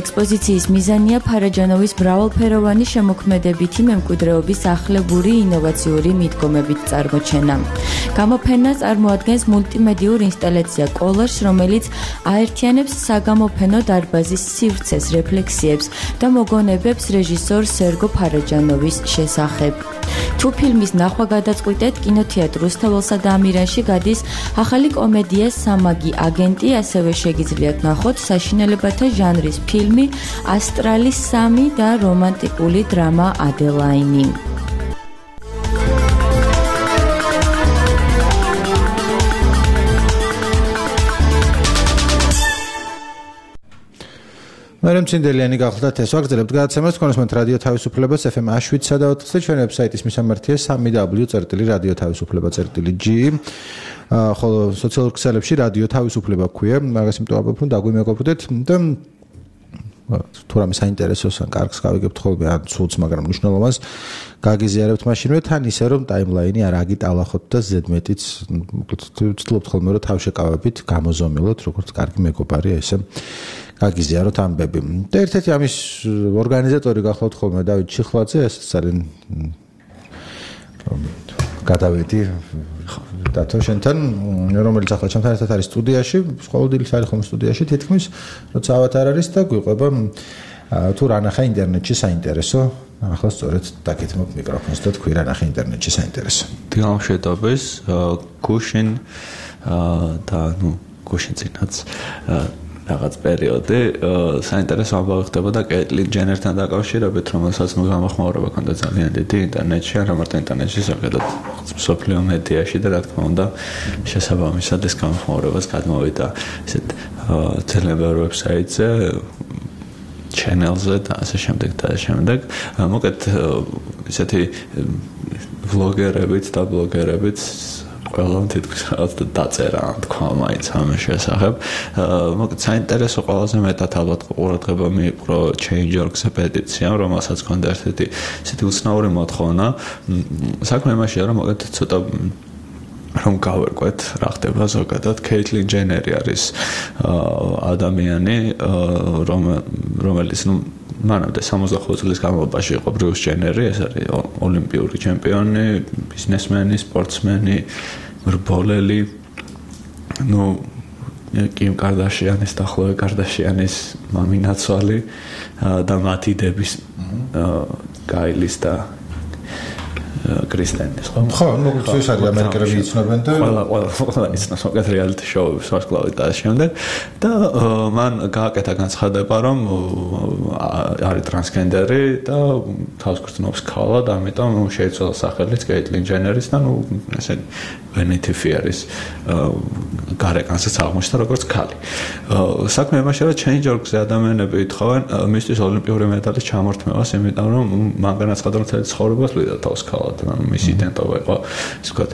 ექსპოზიციის მიზანია ფარაჯანოვის მრავალფეროვანი შემოქმედებითი მემკვიდრეობის ახლებური ინოვაციური მიდგომებით წარმოჩენა. გამოფენა წარმოადგენს მულტიმედიურ ინსტალაცია კოლაჟს, რომელიც აერთიანებს საგამოფენო დარბაზის სივრცეს, რეფლექსიებს და მოგონებებს რეჟისორ სერგო ფარაჯანოვის შესახებ. თუ ფილმის ნახვა გადაწყვიტეთ, კინოთეატრ რუსთაველსა და ამირანში გადის ახალი კომედია სამაგი აგენტი, ასევე შეგიძლიათ ნახოთ საშინელებათა ჟანრის ფილმი ასტრალი სამი და რომანტიკული დრამა ადელაინი. მარიამ ცინდელიანი გახლდათ ეს ვაგზალებთ გადაცემას კონსმენტ რადიო თავისუფლებას ეფ ემ შვიდსა და ოთხზე ჩვენი ვებსაიტის მისამართია სამი დაბლიუ წერტილი რადიო თავისუფლება წერტილი ჯი ხოლო სოციალურ ქსელებში რადიო თავისუფლება ქვია მაგას იმიტომ ვაბობ რომ დაგვიმეგობრდეთ და თუ რამე საინტერესოს ან კარგს გავიგებთ ხოლმე ან ცუდს მაგრამ მნიშვნელოვანს გაგიზიარებთ მაშინვე თან ისე რომ ტაიმლაინი არ აგიტალახოთ და ზედმეტიც ვცდილობთ ხოლმე რომ თავშეკავებით გამოზომილოთ როგორც კარგი მეგობარი ესე გაგიზიაროთ ამბები. და ერთ-ერთი ამის ორგანიზატორი გახლავთ ხოლმე დავით ჩიხლაძე, ეს ძალიან გადავედი დათო შენთან, რომელიც ახლა ჩემთან ერთად არის სტუდიაში, ყოველდღიურად არის ხოლმე სტუდიაში, თითქმის როცა ავათ არ არის და გვიყვება თუ რა ნახა ინტერნეტში საინტერესო ახლა სწორედ დაგეთმობ მიკროფონს და თქვი რა ნახე ინტერნეტში საინტერესო. დილამშვიდობის, გუშინ და ნუ გუშინ წინაც რაღაც პერიოდი საინტერესო ამბავი ხდებოდა კეტლინ ჯენერთან დაკავშირებით, რომელსაც ნუ გამოხმაურება ჰქონდა ძალიან დიდი ინტერნეტში, არა მარტო ინტერნეტში, ზოგადად სოფლიო მედიაში და რა თქმა უნდა შესაბამისად ეს გამოხმაურებას გადმოვიდა ესეთ ძალიან ბევრ ვებსაიტზე, channel-ზე და ასე შემდეგ და ასე შემდეგ. მოკეთ ესეთი ვლოგერებით და ბლოგერებით ყველამ თითქოს რაღაც დაწერა თქვა მაინც ამ შესახებ. მოგეთ საინტერესო ყველაზე მეტად ალბათ ყურადღება მიიპყრო change dot org-ზე პეტიციამ, რომელსაც ჰქონდა ერთ-ერთი ესეთი უცნაური მოთხოვნა. საქმე იმაშია, რომ მოგეთ ცოტა რომ გავერკვეთ რა ხდება ზოგადად. Caitlyn Jenner არის ადამიანი, რომელიც ნუ მანამდე სამოცდახუთ წლის განმავლობაში იყო Bruce Jenner-ი, ეს არის ოლიმპიური ჩემპიონი, ბიზნესმენი, სპორტსმენი, მრბოლელი. ნუ Kim Kardashian-ის და Khloe Kardashian-ის მამინაცვალი და მათი დების გაილის და კრისტენის ხო? ხო, ну, ეს არის ამერიკელები იცნობენ და ყველა ყველა ყველა იცნობს მაგათ რეალიტი შოუს ვარსკვლავით და შემდეგ და მან გააკეთა განცხადება, რომ არის ტრანსგენდერი და თავს გრძნობს ქალად, ამიტომ შეიცვალა სახელიც Caitlyn Jenner-ის და ნუ ესე Vanity Fair-ის გარეკანსაც აღმოჩნდა როგორც ქალი. საქმე იმაშია, რომ change dot org-ზე ადამიანები ეთხოვენ მისთვის ოლიმპიური მედალის ჩამორთმევას, იმიტომ რომ მან განაცხადა, რომ მთელი ცხოვრება წლიდა თავს ქალად. მის იდენტობა იყო ის ვთქვათ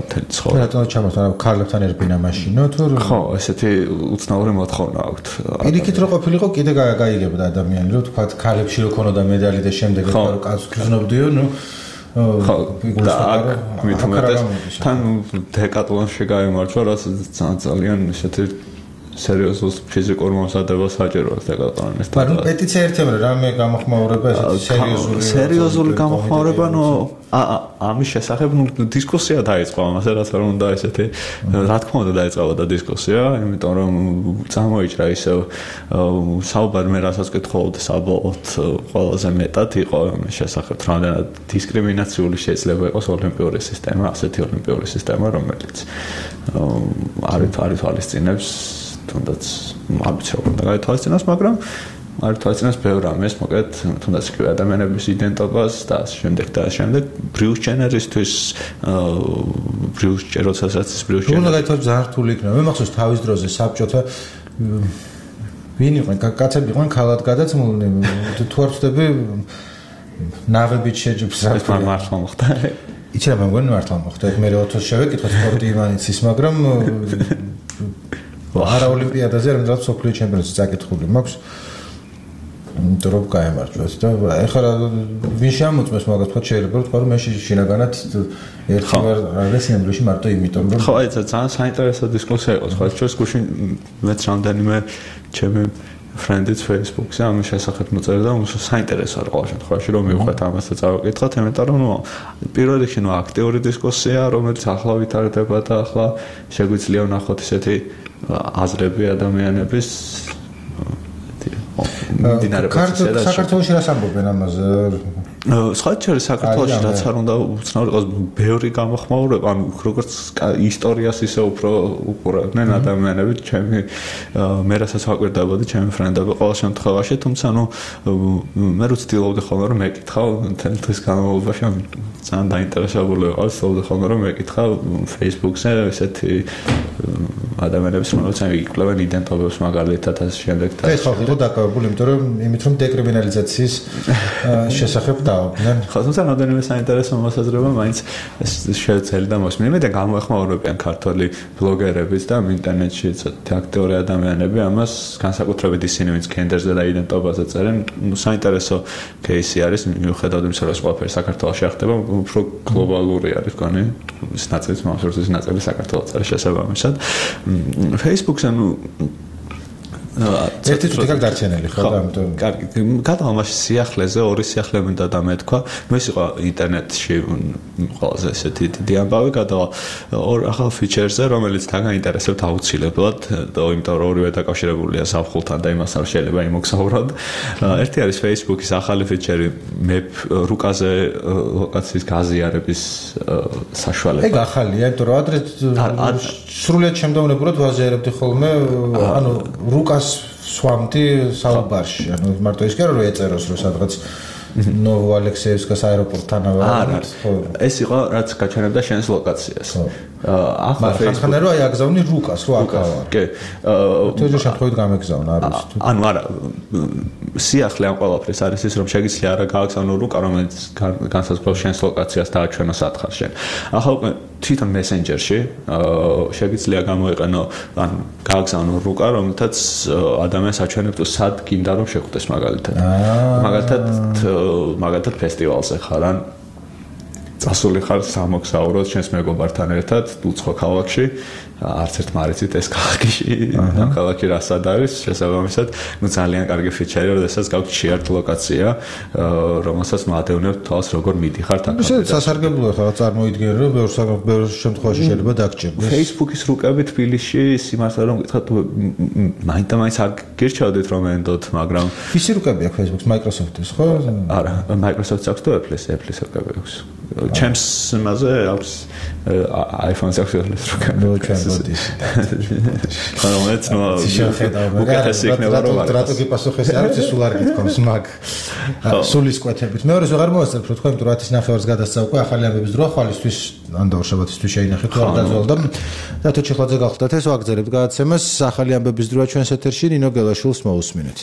მთელი ცხოვრება. რატომ ჩამოთმევა ქალებთან ერბინა მაშინო თუ ხო, ესეთი უცნაური მოთხოვნა აქვს. პირიქით რო ყოფილიყო კიდე გაიგებდა ადამიანი, რომ ვთქვათ ქალებში რო ქონოდა მედალი და შემდეგ რო კაცს გრძნობდიო, ნუ ხო, და მithumetes თან დეკატლონში გაიმარჯვა, რასაც ძალიან ესეთი სერიოზულ ფიზიკურ მომზადებას საჭიროა დეკატლონის. მაგრამ პეტიცია ერთემ რამე გამოხმაურება ესეთი სერიოზული სერიოზული გამოხმაურება, ნუ ამის შესახებ ნუ დისკუსია დაიწყო ამაზე, რაც არ უნდა ესეთი რა თქმა უნდა დაიწყებოდა დისკუსია, იმიტომ რომ წამოიჭრა ისევ საუბარი მე რასაც კითხულობდი საბოლოოდ ყველაზე მეტად იყო ამის შესახებ, რამდენად დისკრიმინაციული შეიძლება იყოს ოლიმპიური სისტემა, ასეთი ოლიმპიური სისტემა, რომელიც არის არის თვალისწინებს თუნდაც ამბიციურად უნდა გაითვალისწინოს, მაგრამ არ თვალისწინებს ბევრ ამას, მოკეთ თუნდაც კი ადამიანების იდენტობას და შემდეგ და შემდეგ Bruce Jenner-ისთვის Bruce Jenner-საც Bruce Jenner. უნდა გაითვალისწინოს ძალიან რთული იქნება. მე მახსოვს თავის დროზე საბჭოთა ვინ იყვნენ კაცები იყვნენ ქალად გადაცმულნი, თუ არ ვწდები ნავებით შეჯიბს ეს მართლა მოხდა. იცი რა მეგონი მართლა მოხდა. მე ოთოს შევეკითხა სპორტი იმანიცის, მაგრამ არა ოლიმპიადაზე, არამედ სოფლიო ჩემპიონატზე წაკითხული მაქვს. იმიტომ რომ გაემარჯვეს და ეხლა ვინ შემოწმეს მაგას თქვა შეიძლება თქვა რომ მე შინაგანად ერთხელ არის ნამდვილში მარტო იმიტომ რომ ხო აი ძალიან საინტერესო დისკუსია იყო სხვა ჩვენს გუშინ მეც რამდენიმე ჩემი ფრენდიც Facebook-ზე ამის შესახებ მოწერდა და საინტერესო არ ყოველ შემთხვევაში რომ მივხვდეთ ამას და წავაკითხოთ, იმიტომ რომ ნუ პირველ რიგში ნუ აქტიური დისკუსია, რომელიც ახლა ვითარდება და ახლა შეგვიძლია ვნახოთ ისეთი აზრები ადამიანების საქართველოში რას ამბობენ ამაზე? სხვა შეიძლება საქართველოში რაც არ უნდა უცნაური იყოს ბევრი გამოხმაურება, ანუ როგორც ისტორიას ისე უფრო უყურებდნენ ადამიანები, ჩემი მე რასაც ვაკვირდებოდი, ჩემი ფრენდები ყოველ შემთხვევაში, თუმცა ნუ მე რო ცდილობდი ხოლმე რომ მეკითხავ მთელი დღის განმავლობაში, ძალიან დაინტერესებული ვიყავ, ცდილობდი ხოლმე რომ მეკითხავ Facebook-ზე ესეთი ადამიანებს, რომელსაც იკვლევენ იდენტობებს მაგალითად ასე შემდეგ და ეს ხო იყო დაკავებული, იმიტომ რომ იმით რომ დეკრიმინალიზაციის შესახებ დაობდნენ. ხო, თუმცა რამდენიმე საინტერესო მოსაზრება მაინც შეეცელდა მოსმენები და გამოეხმაურებიან ქართველი ბლოგერებიც და ინტერნეტში ცოტა აქტიური ადამიანები ამას განსაკუთრებით ისინი, ვინც გენდერზე და იდენტობაზე წერენ, ნუ საინტერესო кейსი არის, მიუხედავად იმისა, რომ ყველაფერი საქართველოში ხდება, უფრო გლობალური არის გონი ის ნაწილი, მასურსის ნაწილი საქართველოს არის შესაბამისად. Facebook-ზე ნუ ერთი წუთი გაკ დარჩენილი ხო ამიტომ კარგი გადავამაში სიახლეზე ორი სიახლე მინდა და მეთქვა მე სიყვა ინტერნეტში ყველაზე ესეთი დიდი ამბავი გადავა ორ ახალ ფიჩერზე რომელიც დაგაინტერესებთ აუცილებლად და იმიტომ რომ ორივე დაკავშირებულია ზაფხულთან და იმასთან შეიძლება იმოგზაუროთ ერთი არის Facebook-ის ახალი ფიჩერი მე რუკაზე ლოკაციის გაზიარების საშუალება ეგ ახალია იმიტომ რომ ადრე სრულიად შემდევნებურად ვაზიარებდი ხოლმე ანუ რუკას სვამდი საუბარში ანუ მარტო ის კი არა რომ ეწეროს რომ სადღაც ნოვო ალექსეევსკას აეროპორტთან არა ეს იყო რაც გაჩვენებდა შენს ლოკაციას ახლა ხანხანა რომ აი აგზავნი რუკას რო აკავა კი თუჯერ შემთხვევით გამეგზავნა არ ვიცი ანუ არა სიახლე ამ ყველაფრის არის ის რომ შეგიძლია არა გააგზავნო რუკა რომელიც განსაზღვრავს შენს ლოკაციას დააჩვენო სათხარ შენ ახლა უკვე თვითონ მესენჯერში შეგიძლია გამოიყენო ან გააგზავნო რუკა რომელთაც ადამიანს აჩვენებს თუ სად გინდა რომ შეხვდეს მაგალითად მაგალითად მაგალითად ფესტივალზე ხარ ან წასული ხარ სამოგზაუროდ შენს მეგობართან ერთად უცხო ქალაქში არც ერთ მარიცით ეს ქალაქში ამ ქალაქში რასად არის შესაბამისად ნუ ძალიან კარგი ფიჩერი როდესაც გაქვთ შეერთ ლოკაცია რომელსაც მადევნებთ თავს როგორ მიდიხართ აქ შეიძლება სასარგებლოა ხა წარმოიდგინე რომ ბევრ ბევრ შემთხვევაში შეიძლება დაგჭირდეს Facebook-ის რუკები თბილისში სიმართლე რომ გითხრათ მაინდა-მაინც არ გირჩევდით რომ ენდოთ მაგრამ ვისი რუკები აქვს Facebook-ს Microsoft-ის ხო არა Microsoft-ს აქვს თუ Apple-ის Apple-ის რუკები აქვს ჩემს მასე აქვს iPhone-ს აქვს ეს რუკები მოდის. ხანომეც ნუ უკეთესი იქნება რომ არა. რატო გიპასუხეს არ ვიცი სულ არ გითხოვს მაგ სულის კვეთებით. მეორეს ვეღარ მოვასწრებ რომ თქვენ თუ რათის ნახევარს გადასცა უკვე ახალი ამბების დრო ხვალისთვის ან დავშაბათისთვის შეინახეთ თუ არ დაძვალ და დათო ჩეხლაძე გახლდათ ეს ვაგზავნებთ გადაცემას ახალი ამბების დროა ჩვენს ეთერში ნინო გელაშვილს მოусმინეთ.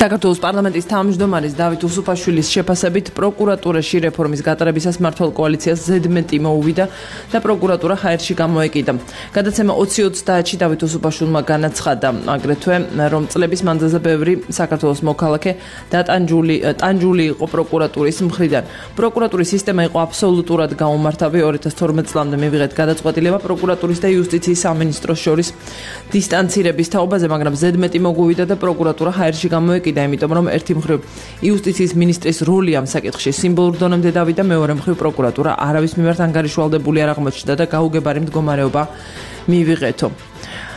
საქართველოს პარლამენტის თავმჯდომარის დავით უსუფაშვილის შეფასებით პროკურატურაში რეფორმის გატარებისას მმართველ კოალიციას ზედმეტი მოუვიდა და პროკურატურა ჰაერში გამოეკიდა. გადაცემა ოცი ოცდაათში დავით უსუფაშვილმა განაცხადა აგრეთვე რომ წლების მანძილზე ბევრი საქართველოს მოქალაქე დატანჯული ტანჯული იყო პროკურატურის მხრიდან. პროკურატურის სისტემა იყო აბსოლუტურად გაუმართავი ორი ათას თორმეტ წლამდე მივიღეთ გადაწყვეტილება პროკურატურის და იუსტიციის სამინისტროს შორის დისტანცირების თაობაზე, მაგრამ ზედმეტი მოგვივიდა და პროკურატურა ჰაერში გამოეკიდა. იმიტომ რომ ერთი მხრივ იუსტიციის მინისტრის როლი ამ საკითხში სიმბოლურ დონემდე დავიდა, მეორე მხრივ პროკურატურა არავის მიმართ ანგარიშვალდებული არ აღმოჩნდა და გაუგებარი მდგომარეობა მიიღეთო.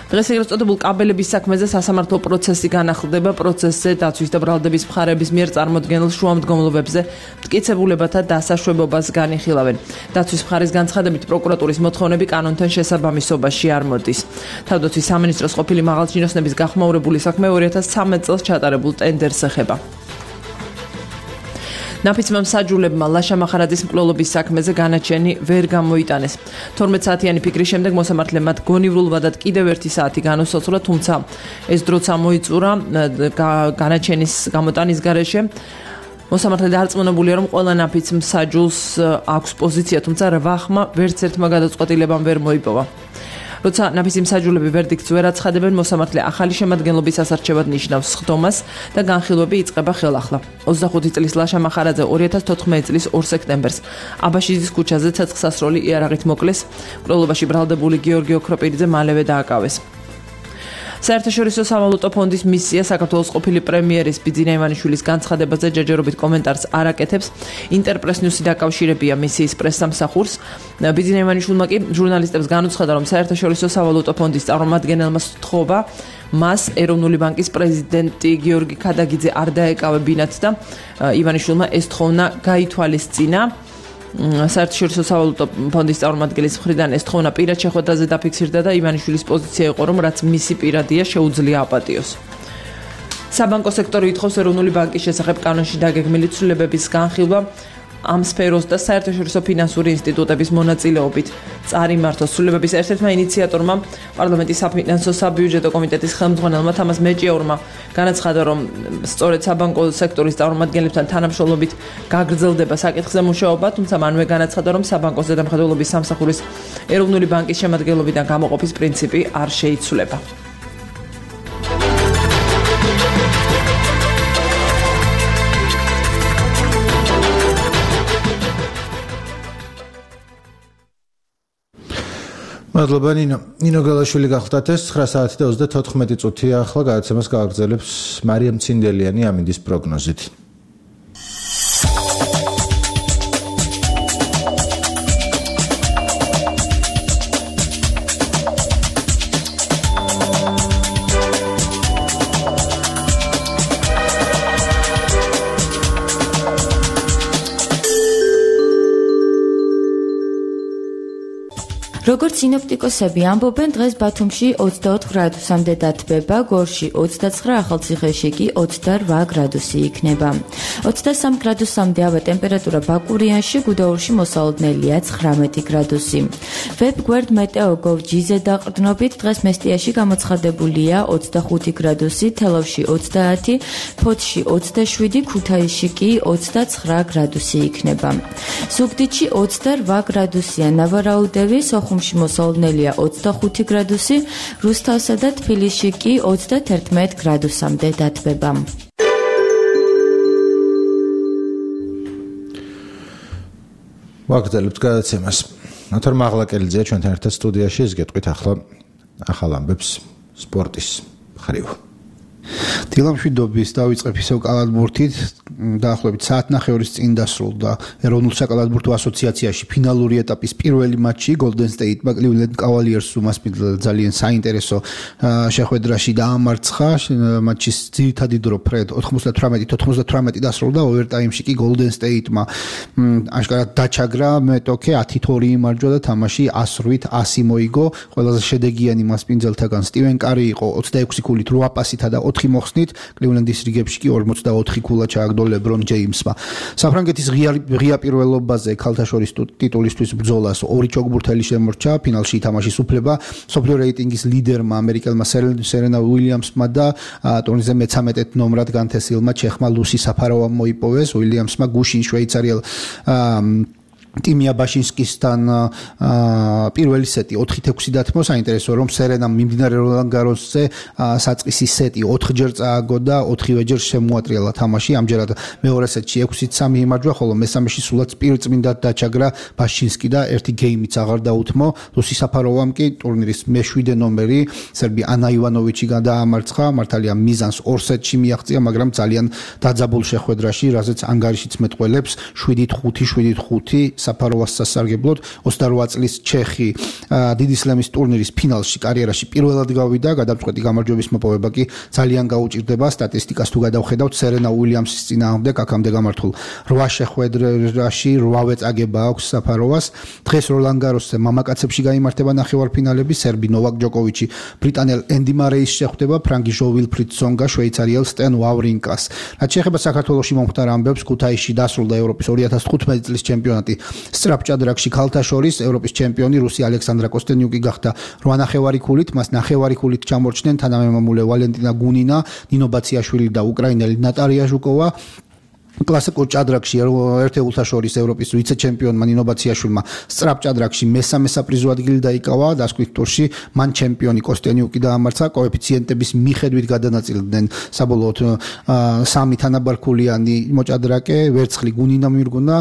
დღეს ეგრეთ წოდებულ კაბელების საქმეზე სასამართლო პროცესი განახლდება. პროცესზე დაცვის და ბრალდების მხარების მიერ წარმოდგენილ შუამდგომლობებზე მტკიცებულებათა დასაშვებობას განიხილავენ. დაცვის მხარის განცხადებით პროკურატურის მოთხოვნები კანონთან შესაბამისობაში არ მოდის. თავდაცვის სამინისტროს ყოფილი მაღალჩინოსნების გახმაურებული საქმე ორი ათას ცხრამეტ წელს ჩატარებულ ტენდერს ეხება. ნაფიცმა მსაჯულებმა ლაშა მახარაძის მკვლელობის საქმეზე განაჩენი ვერ გამოიტანეს. თორმეტ საათიანი ფიქრის შემდეგ მოსამართლემ მათ გონივრულ ვადად კიდევ ერთი საათი განუსაცურა, თუმცა ეს დროც ამოიწურა განაჩენის გამოტანის გარეშე. მოსამართლე დარწმუნებულია, რომ ყველა ნაფიც მსაჯულს აქვს პოზიცია, თუმცა რვა ხმა ვერც ერთმა გადაწყვეტილებამ ვერ მოიპოვა. როცა ნაფიცი მსაჯულები ვერდიქტს ვერ აცხადებენ, მოსამართლე ახალი შემადგენლობის ასარჩევად ნიშნავს სხდომას და განხილვები იწყება ხელახლა. ოცდახუთი წლის ლაშა მახარაძე ორი ათას თოთხმეტ წლის ორ სექტემბერს აბაშიძის ქუჩაზე ცეცხლსასროლი იარაღით მოკლეს. მკვლელობაში ბრალდებული გიორგი ოქროპირიძე მალევე დააკავეს. საერთაშორისო სავალუტო ფონდის მისია საქართველოს ყოფილი პრემიერის ბიძინა ივანიშვილის განცხადებაზე ჯერჯერობით კომენტარს არ აკეთებს. ინტერპრეს ნიუსი დაკავშირებია მისიის პრესსამსახურს. ბიძინა ივანიშვილმა კი ჟურნალისტებს განუცხადა, რომ საერთაშორისო სავალუტო ფონდის წარმომადგენელმა სთხოვა მას ეროვნული ბანკის პრეზიდენტი გიორგი ქადაგიძე არ დაეკავებინათ და ივანიშვილმა ეს თხოვნა გაითვალისწინა. საერთაშორისო სავალუტო ფონდის წარმომადგენლის მხრიდან ეს თხოვნა პირად შეხვედრაზე დაფიქსირდა და ივანიშვილის პოზიცია იყო, რომ რაც მისი პირადია შეუძლია აპატიოს. საბანკო სექტორი ითხოვს ეროვნული ბანკის შესახებ კანონში დაგეგმილი ცვლილებების განხილვა ამ სფეროს და საერთაშორისო ფინანსური ინსტიტუტების მონაწილეობით წარიმართოს. ცვლილებების ერთ-ერთმა ინიციატორმა პარლამენტის საფინანსო საბიუჯეტო კომიტეტის ხელმძღვანელმა თამას მეჭიაურმა განაცხადა, რომ სწორედ საბანკო სექტორის წარმომადგენლებთან თანამშრომლობით გაგრძელდება საკითხზე მუშაობა, თუმცა მანვე განაცხადა, რომ საბანკო ზედამხედველობის სამსახურის ეროვნული ბანკის შემადგენლობიდან გამოყოფის პრინციპი არ შეიცვლება. მადლობა ნინო. ნინო გალაშვილი გახლდათ ეს ცხრა საათი და ოცდათოთხმეტი წუთი ახლა გადაცემას გააგრძელებს მარიამ ცინდელიანი ამინდის პროგნოზით. როგორც სინოპტიკოსები ამბობენ, დღეს ბათუმში ოცდაოთხ გრადუსამდე დათბება, გორში ოცდაცხრა, ახალციხეში კი ოცდარვა გრადუსი იქნება. ოცდასამ გრადუსამდე ავა ტემპერატურა ბაკურიანში, გუდაურში მოსალოდნელია ცხრამეტი გრადუსი. ვებგვერდ მეტეოგოვ ჯიზე დაყრდნობით დღეს მესტიაში გამოცხადებულია ოცდახუთი გრადუსი, თელავში ოცდაათი, ფოთში ოცდაშვიდი, ქუთაისში კი ოცდაცხრა გრადუსი იქნება. ზუგდიდში ოცდარვა გრადუსია, ნავარაუდევი, სოხუმში მოსალოდნელია ოცდახუთი გრადუსი, რუსთავსა და თბილისში კი ოცდაათერთმეტი გრადუსამდე დათბება. ვაგრძელებთ გადაცემას. ნათარ მაღლაკელიძეა ჩვენთან ერთად სტუდიაში, ეს გეტყვით ახლა ახალ ამბებს სპორტის მხრივ. დილამშვიდობის დავიწყებ ისევ კალათბურთით, დაახლოებით საათნახევრის წინ დასრულდა ეროვნულ საკალათბურთო ასოციაციაში ფინალური ეტაპის პირველი მატჩი Golden State-მა Cleveland Cavaliers უმასპინძლა ძალიან საინტერესო შეხვედრაში დაამარცხა. მატჩის ძირითადი დრო ფრედ ოთხმოცდათვრამეტი თოთხმოცდათვრამეტი დასრულდა, ოვერტაიმში კი Golden State-მა აშკარად დაჩაგრა მეტოქე ათი ორი იმარჯვა და თამაში ასრვით ასი მოიგო. ყველაზე შედეგიანი მასპინძელთაგან სტივენ კარი იყო ოცდაექვსი ქულით რვა პასითა და ოთხი მოხსნით, Cleveland-ის რიგებში კი ორმოცდაოთხი ქულა ჩააგდო LeBron James-მა. საფრანგეთის ღია პირველობაზე ქალთა შორის ტიტულისთვის ბრძოლას ორი ჩოგბურთელი შემორჩა, ფინალში ითამაშის უფლება მსოფლიო რეიტინგის ლიდერმა ამერიკელმა სერენა უილიამსმა და ტურნირზე მეცამეტ ნომრად განთესილმა ჩეხმა ლუსი საფაროვამ მოიპოვეს. უილიამსმა გუშინ შვეიცარიელ ტიმია ბაშინსკისთან პირველი სეტი ოთხი ექვსი დათმო. საინტერესო რომ სერენამ მიმდინარე როლან გაროსზე საწყისი სეტი ოთხჯერ წააგო და ოთხივეჯერ შემოატრიალა თამაში. ამჯერად მეორე სეტში ექვსი სამი იმარჯვა, ხოლო მესამეში სულაც პირწმინდად დაჩაგრა ბაშინსკი და ერთი გეიმიც აღარ დაუთმო. ლუსი საფაროვამ კი ტურნირის მეშვიდე ნომერი სერბი ანა ივანოვიჩი გადაამარცხა. მართალია მიზანს ორ სეტში მიაღწია, მაგრამ ძალიან დაძაბულ შეხვედრაში, რაზეც ანგარიშიც მეტყველებს შვიდი ხუთი შვიდი ხუთი საფაროვას სასარგებლოდ. ოცდარვა წლის ჩეხი დიდი სლემის ტურნირის ფინალში კარიერაში პირველად გავიდა, გადამწყვეტი გამარჯვების მოპოვება კი ძალიან გაუჭირდება. სტატისტიკას თუ გადავხედავთ, სერენა უილიამსის წინააღმდეგ აქამდე გამართულ რვა შეხვედრაში რვავე წაგება აქვს საფაროვას. დღეს როლან გაროსზე მამაკაცებში გაიმართება ნახევარფინალები, სერბი ნოვაკ ჯოკოვიჩი ბრიტანელ ენდი მარეის შეხვდება, ფრანგი ჟო ვილფრიდ სონგა შვეიცარიელ სტენ ვავრინკას. რაც შეეხება საქართველოში მომხდარ ამბებს, ქუთაისში დასრულდა ევროპის ორი ათას თხუთმეტი წლის ჩემპიონატი სწრაფჭადრაკში ქალთა შორის. ევროპის ჩემპიონი რუსი ალექსანდრა კოსტენიუკი გახდა რვა ნახევარი ქულით, მას ნახევარი ქულით ჩამორჩნენ თანამემამულე ვალენტინა გუნინა, ნინო ბაციაშვილი და უკრაინელი ნატარია ჟუკოვა. კლასიკურ ჭადრაკში ერთეულთა შორის ევროპის ვიცე-ჩემპიონმა ნინო ბაციაშვილმა სწრაფჭადრაკში მესამე საპრიზო ადგილი დაიკავა. დასკვით ტურში მან ჩემპიონი კოსტენიუკი დაამარცხა. კოეფიციენტების მიხედვით გადანაწილდნენ საბოლოოდ სამი თანაბარქულიანი მოჭადრაკე, ვერცხლი გუნინა მიირგუნა,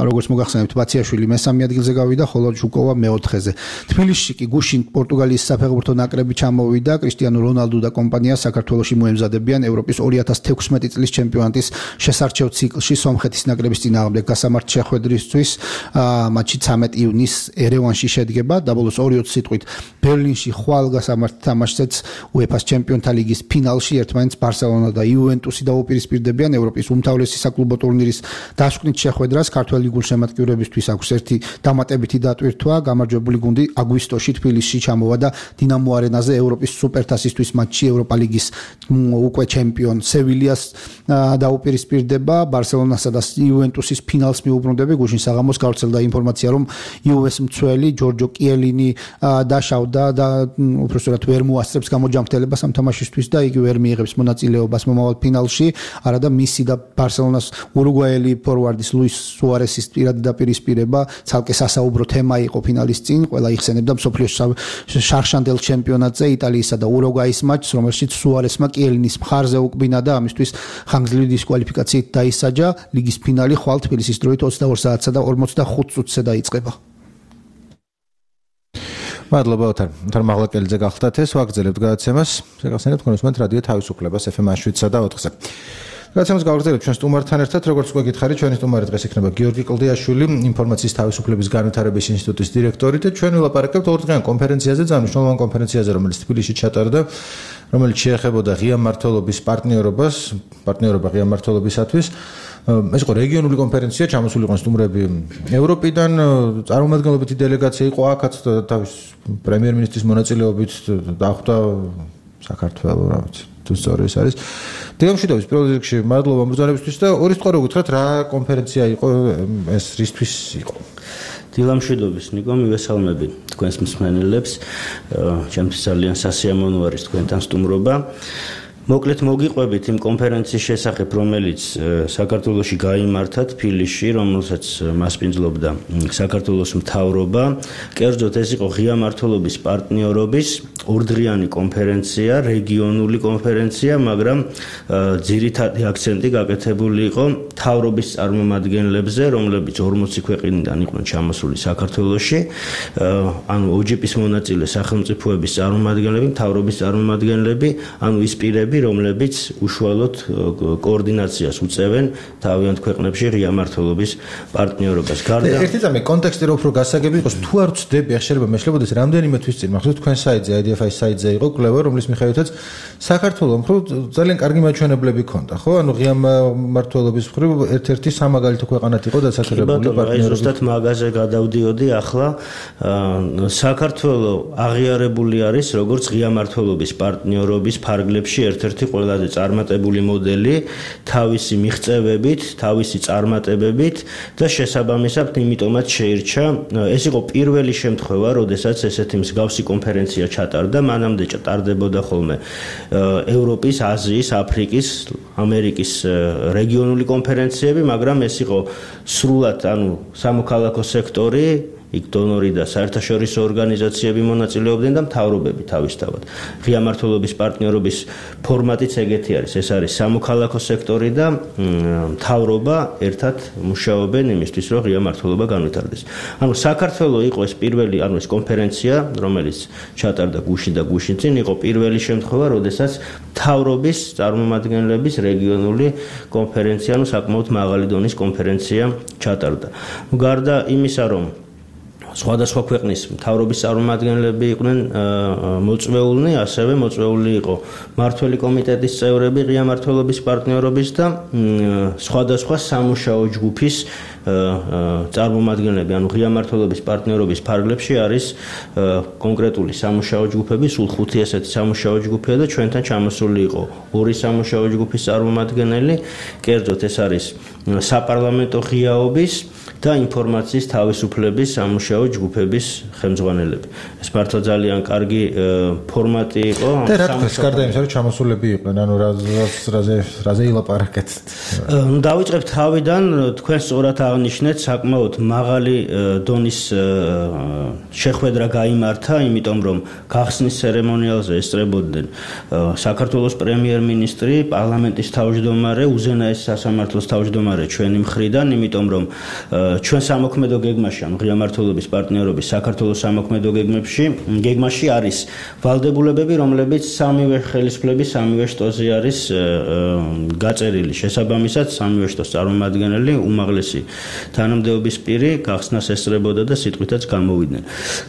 როგორც მოგახსენებთ ბაციაშვილი მესამე ადგილზე გავიდა, ხოლო ჟუკოვა მეოთხეზე. თბილისში კი გუშინ პორტუგალიის საფეხბურთო ნაკრები ჩამოვიდა. კრისტიანო რონალდუ და კომპანია საქართველოში მოემზადებიან ევროპის ორი ათას თექვსმეტი წლის ჩემპიონატის შესარჩევ ციკლში სომხეთის ნაკრების წინააღმდეგ გასამართ შეხვედრისთვის. მატჩი ცამეტი ივნის ერევანში შედგება. დაბოლოს ორი ოცი სიტყვით ბერლინში ხვალ გასამართ თამაშზეც უეფა-ს ჩემპიონთა ლიგის ფინალში ერთმანეთს ბარსელონა და იუვენტუსი დაუპირისპირდებიან. ევროპის უმთავრესი საკლუბო ტურნირის დასკვნით შეხვედრას ქართველი გულშემატკივრებისთვის აქვს ერთი დამატებითი დატვირთვა. გამარჯვებული გუნდი აგვისტოში თბილისში ჩამოვა და დინამო არენაზე ევროპის სუპერთასისთვის მატჩი ევროპა ლიგის უკვე ჩემპიონ სევილიას დაუპირისპირდება. ბარსელონასა და იუვენტუსის ფინალს მიუბრუნდები. გუშინ საღამოს გავრცელდა ინფორმაცია, რომ იუვეს მცველი ჯორჯო კიელინი დაშავდა და უბრალოდ ვერ მოასწრებს გამოჯანმრთელებას ამ თამაშისთვის და იგი ვერ მიიღებს მონაწილეობას მომავალ ფინალში. არა და მისი და ბარსელონას ურუგვაელი ფორვარდის ლუის სუარესის პირადი დაპირისპირება ცალკე სასაუბრო თემა იყო ფინალის წინ. ყველა იხსენებდა მსოფლიოს შარშანდელ ჩემპიონატზე იტალიისა და ურუგვაის მატჩს, რომელშიც სუარესმა კიელინის მხარზე უკბინა და ამისთვის ხანგრძლივი დისკვალიფიკაციით დაისაჯა. ლიგის ფინალი ხვალ თბილისის დროით ოცდაორ საათსა და ორმოცდახუთ წუთზე დაიწყება. მადლობა ოთარ. ოთარ მაღლაკელიძე გახლდათ ეს ვაგრძელებთ გადაცემას. შეგახსენებთ თქვენ უსმენთ რადიო თავისუფლებას ეფ ემ შვიდსა და ოთხზე. გადაცემას გავაგრძელებთ ჩვენ სტუმართან ერთად, როგორც უკვე გითხარით, ჩვენი სტუმარი დღეს იქნება გიორგი კლდიაშვილი, ინფორმაციის თავისუფლების განვითარების ინსტიტუტის დირექტორი და ჩვენ ვილაპარაკებთ ორდღიან კონფერენციაზე, ძალიან კონფერენციაზე, რომელიც თბილისში ჩატარდა, რომელიც შეეხებოდა ღია მმართველობის პარტნიორობას, პარტნიორობა ღია მმართველობისათვის. ეს იყო რეგიონული კონფერენცია, ჩამოსული იყვნენ სტუმრები ევროპიდან, წარმომადგენლობითი დელეგაცია იყო აქაც თავის პრემიერ-მინისტრის მონაწილეობით დახვდა საქართველო, რა ვიცი, თუ სწორი ეს არის. დილამშვიდობის პირველ რიგში მადლობა მოგზაურებისთვის და ორი სიტყვა რო გითხრათ, რა კონფერენცია იყო ეს, რისთვის იყო? დილამშვიდობის ნიკო, მივესალმები თქვენს მსმენელებს. ჩემთვის ძალიან სასიამოვნო არის თქვენთან სტუმრობა. მოკლედ მოგიყვებით იმ კონფერენციის შესახებ, რომელიც საქართველოში გაიმართა თბილისში, რომელსაც მასპინძლობდა საქართველოს მთავრობა. კერძოდ ეს იყო ღია მმართველობის პარტნიორობის ორდღიანი კონფერენცია, რეგიონული კონფერენცია, მაგრამ ძირითადი აქცენტი გაკეთებული იყო მთავრობის წარმომადგენლებზე, რომლებიც ორმოცი ქვეყნიდან იყვნენ ჩამოსული საქართველოში. ანუ ო ჯი პის მონაწილე სახელმწიფოების წარმომადგენლები, მთავრობის წარმომადგენლები, ანუ ის პირები, რომლებიც უშუალოდ კოორდინაციას უწევენ თავიანთ ქვეყნებში ღია მმართველობის პარტნიორობას. გარდა ერთი წამი კონტექსტი რო უფრო გასაგები იყოს, თუ არ ვწდები, ახლა მეშლებოდეს რამდენიმე თვის წინ, მახსოვს თქვენ საიტზე, აი დი ეფ აის საიტზე იყო კვლევა, რომლის მიხედვითაც საქართველოს მხრივ ძალიან კარგი მაჩვენებლები ჰქონდა, ხო? ანუ ღია მმართველობის მხრივ ერთ-ერთი სამაგალითო ქვეყანად იყო დასახელებული პარტნიორები. ზუსტად მაგაზე გადავდიოდი ახლა. საქართველოს აღიარებული არის როგორც ღია მმართველობის პარტნიორობის ფარგლებში ერთ ერთი ყველაზე წარმატებული მოდელი თავისი მიღწევებით, თავისი წარმატებებით და შესაბამისად იმიტომაც შეირჩა. ეს იყო პირველი შემთხვევა, როდესაც ესეთი მსგავსი კონფერენცია ჩატარდა, მანამდე ჩატარდებოდა ხოლმე ევროპის, აზიის, აფრიკის, ამერიკის რეგიონული კონფერენციები, მაგრამ ეს იყო სრულად, ანუ სამოქალაქო სექტორი, იქ დონორი და საერთაშორისო ორგანიზაციები მონაწილეობდნენ და მთავრობები თავისთავად. ღია მმართველობის პარტნიორობის ფორმატიც ეგეთი არის. ეს არის სამოქალაქო სექტორი და მთავრობა ერთად მუშაობენ იმისთვის, რომ ღია მმართველობა განვითარდეს. ანუ საქართველოს იყო ეს პირველი, ანუ ეს კონფერენცია, რომელიც ჩატარდა გუშინ და გუშინ წინ, იყო პირველი შემთხვევა, როდესაც მთავრობის წარმომადგენლების რეგიონული კონფერენცია, ანუ საკმაოდ მაღალი დონის კონფერენცია ჩატარდა. გარდა იმისა, რომ სხვადასხვა ქვეყნის მთავრობის წარმომადგენლები იყვნენ მოწვეულნი, ასევე მოწვეული იყო მმართველი კომიტეტის წევრები ღია მმართველობის პარტნიორობის და სხვადასხვა სამუშაო ჯგუფის წარმომადგენლები, ანუ ღია მმართველობის პარტნიორობის ფარგლებში არის კონკრეტული სამუშაო ჯგუფები, სულ ხუთი ესეთი სამუშაო ჯგუფია და ჩვენთან ჩამოსული იყო ორი სამუშაო ჯგუფის წარმომადგენელი, კერძოდ ეს არის საპარლამენტო ღიაობის და ინფორმაციის თავისუფლების სამუშაო ჯგუფების ხელმძღვანელები. ეს მართლა ძალიან კარგი ფორმატი იყო. და რა თქმა უნდა, გარდა იმისა, რომ ჩამოსულები იყვნენ, ანუ რაზე რაზე ილაპარაკეთ. ნუ დავიწყებთ თავიდან, თქვენ სწორად აღნიშნეთ, საკმაოდ მაღალი დონის შეხვედრა გაიმართა, იმიტომ რომ გახსნის ცერემონიალზე ესწრებოდნენ საქართველოს პრემიერ-მინისტრი, პარლამენტის თავმჯდომარე, უზენაესი სასამართლოს თავმჯდომარე ჩვენი მხრიდან, იმიტომ რომ ჩვენ სამოქმედო გეგმაში, ანუ ღია მმართველობის პარტნიორობის საქართველოს სამოქმედო გეგმებში, გეგმაში არის ვალდებულებები, რომლებიც სამივე ხელისუფლების სამივე შტოზე არის გაწერილი. შესაბამისად, სამივე შტოს წარმომადგენელი უმაღლესი თანამდებობის პირი გახსნას ესწრებოდა და სიტყვითაც გამოვიდნენ.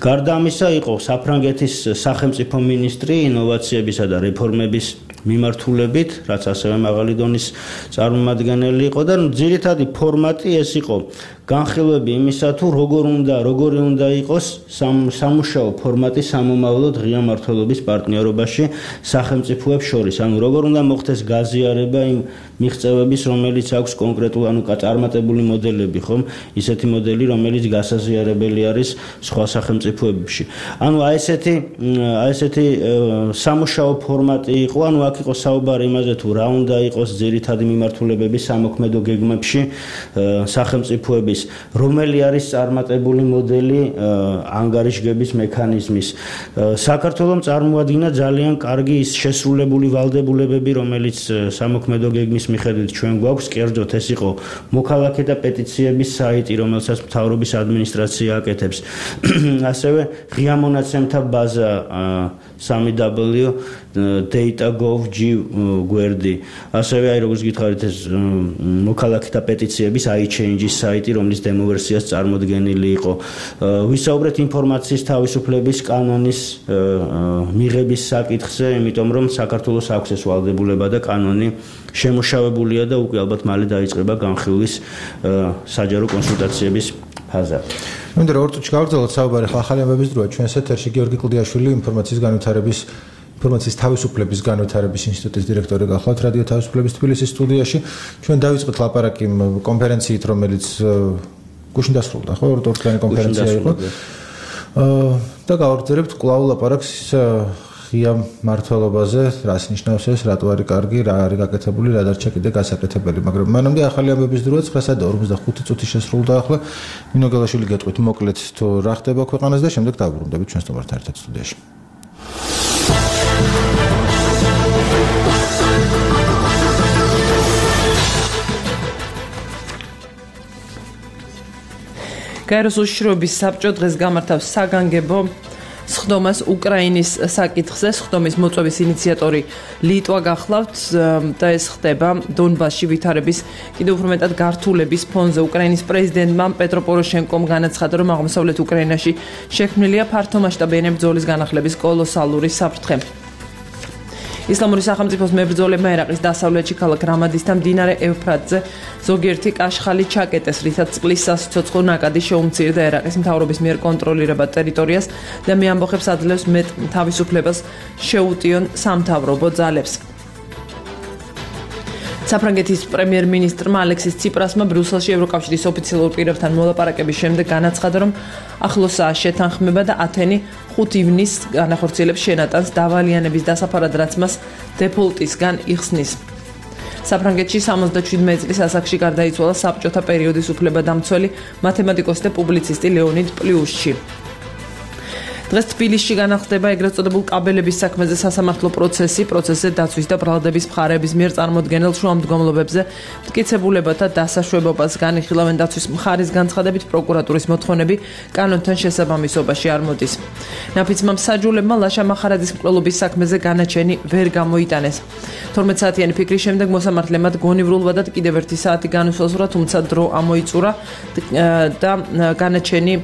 გარდა ამისა, იყო საფრანგეთის სახელმწიფო მინისტრი ინოვაციებისა და რეფორმების მიმართულებით, რაც ასევე მაღალი დონის წარმომადგენელი იყო და ძირითადი ფორმატი ეს იყო განხილვები იმისა, თუ როგორ უნდა, როგორი უნდა იყოს სამუშაო ფორმატი სამომავლოდ ღია მმართველობის პარტნიორობაში სახელმწიფოებს შორის. ანუ როგორ უნდა მოხდეს გაზიარება იმ მიღწევების, რომელიც აქვს კონკრეტულ, ანუ წარმატებული მოდელები, ხომ? ისეთი მოდელი, რომელიც გასაზიარებელი არის სხვა სახელმწიფოებში. ანუ აი ესეთი, აი ესეთი სამუშაო ფორმატი იყო, ანუ აქ იყო საუბარი იმაზე, თუ რა უნდა იყოს ძირითადი მიმართულებები სამოქმედო გეგმებში სახელმწიფოების არის რომელი არის წარმატებული მოდელი ანგარიშგების მექანიზმის საქართველოს წარმოადგინა ძალიან კარგი ის შესრულებული ვალდებულებები რომელიც სამოქმედო გეგმის მიხედვით ჩვენ გვაქვს კერძოდ ეს იყო მოქალაქეთა პეტიციების საიტი რომელსაც მთავრობის ადმინისტრაცია აკეთებს ასევე ღია მონაცემთა ბაზა three w data dot gov dot g გვერდი ასევე აი როგორც გითხარით ეს მოქალაქეთა პეტიციების iChange-ის საიტი რომლის დემო ვერსიაც წარმოდგენილი იყო ვისაუბრეთ ინფორმაციის თავისუფლების კანონის მიღების საკითხზე იმიტომ რომ საქართველოს აქვს ეს ვალდებულება და კანონი შემოშავებულია და უკვე ალბათ მალე დაიწყება განხილვის საჯარო კონსულტაციების ფაზა მინდა რომ ორ წუთში გავაგრძელოთ საუბარი ახალი ამბების დროა ჩვენს ეთერში გიორგი კლდიაშვილი ინფორმაციის განვითარების ინფორმაციის თავისუფლების განვითარების ინსტიტუტის დირექტორი გახლავთ რადიო თავისუფლების თბილისის სტუდიაში ჩვენ დავიწყეთ ლაპარაკი კონფერენციით რომელიც გუშინ დასრულდა ხო ორ დღიანი კონფერენცია იყო და გავაგრძელებთ კვლავ ლაპარაკს ღია მართლობაზე რას ნიშნავს ეს რატო არის კარგი რა არის გაკეთებული რა დარჩა კიდე გასაკეთებელი მაგრამ მანამდე ახალი ამბების დროა ცხრა და ორმოცდახუთი წუთი შესრულდა ახლა ნინო გელაშვილი გეტყვით მოკლედ თუ რა ხდება ქვეყანას და შემდეგ დავბრუნდებით ჩვენ სტუმართან ერთად სტუდიაში გაეროს უშიშროების საბჭო დღეს გამართავს საგანგებო სხდომას უკრაინის საკითხზე სხდომის მოწვევის ინიციატორი ლიტვა გახლავთ და ეს ხდება დონბასში ვითარების კიდევ უფრო მეტად გართულების ფონზე უკრაინის პრეზიდენტმა პეტრო პოროშენკომ განაცხადა რომ აღმოსავლეთ უკრაინაში შექმნილია ფართომასშტაბიანი ბრძოლის განახლების კოლოსალური საფრთხე ისლამური სახელმწიფოს მებრძოლებმა ერაყის დასავლეთში ქალაქ რამადისთან მდინარე ევფრატზე ზოგიერთი კაშხალი ჩაკეტეს, რითაც წყლის სასიცოცხლო ნაკადი შეუმცირდა ერაყის მთავრობის მიერ კონტროლირებად ტერიტორიას და მე ამბოხებს აძლევს მეტ თავისუფლებას შეუტიონ სამთავრობო ძალებს. საფრანგეთის პრემიერ-მინისტრმა ალექსის ციპრასმა ბრიუსელში ევროკავშირის ოფიციალურ პირებთან მოლაპარაკების შემდეგ განაცხადა, რომ ახლოსაა შეთანხმება და ათენი ხუთი ივნისს განახორციელებს შენატანს დავალიანების დასაფარად, რაც მას დეფოლტისგან იხსნის. საფრანგეთში სამოცდაშვიდმეტი წლის ასაკში გარდაიცვალა საბჭოთა პერიოდის უფლებადამცველი მათემატიკოსი და პუბლიცისტი ლეონიდ პლიუშჩი. დღეს თბილისში განახლდება ეგრეთ წოდებულ კაბელების საქმეზე სასამართლო პროცესი, პროცესზე დაცვის და ბრალდების მხარეების მიერ წარმოდგენილ შუამდგომლობებზე მტკიცებულებათა დასაშვებობას განიხილავენ დაცვის მხარის განცხადებით პროკურატურის მოთხოვნები კანონთან შესაბამისობაში არ მოდის. ნაფიცმა მსაჯულებმა ლაშა მახარაძის მკვლელობის საქმეზე განაჩენი ვერ გამოიტანეს. თორმეტ საათიანი ფიქრის შემდეგ მოსამართლემ მათ გონივრულად კიდევ ერთი საათი განუსაზღვრა, თუმცა დრო ამოიწურა და განაჩენი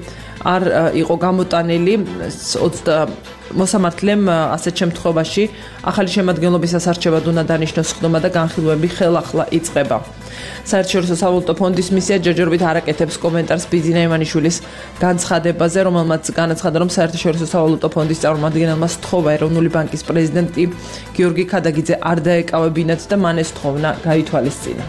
არ იყო გამოტანილი მოსამართლემ ასეთ შემთხვევაში ახალი შემადგენლობის ასარჩევად უნდა დანიშნოს სხდომა და განხილვები ხელახლა იწყება. საერთაშორისო სავალუტო ფონდის მისია ჯერჯერობით არ აკეთებს კომენტარს ბიძინა ივანიშვილის განცხადებაზე, რომელმაც განაცხადა, რომ საერთაშორისო სავალუტო ფონდის წარმომადგენელმა სთხოვა ეროვნული ბანკის პრეზიდენტი გიორგი ქადაგიძე არ დაეკავებინათ და მან ეს თხოვნა გაითვალისწინა.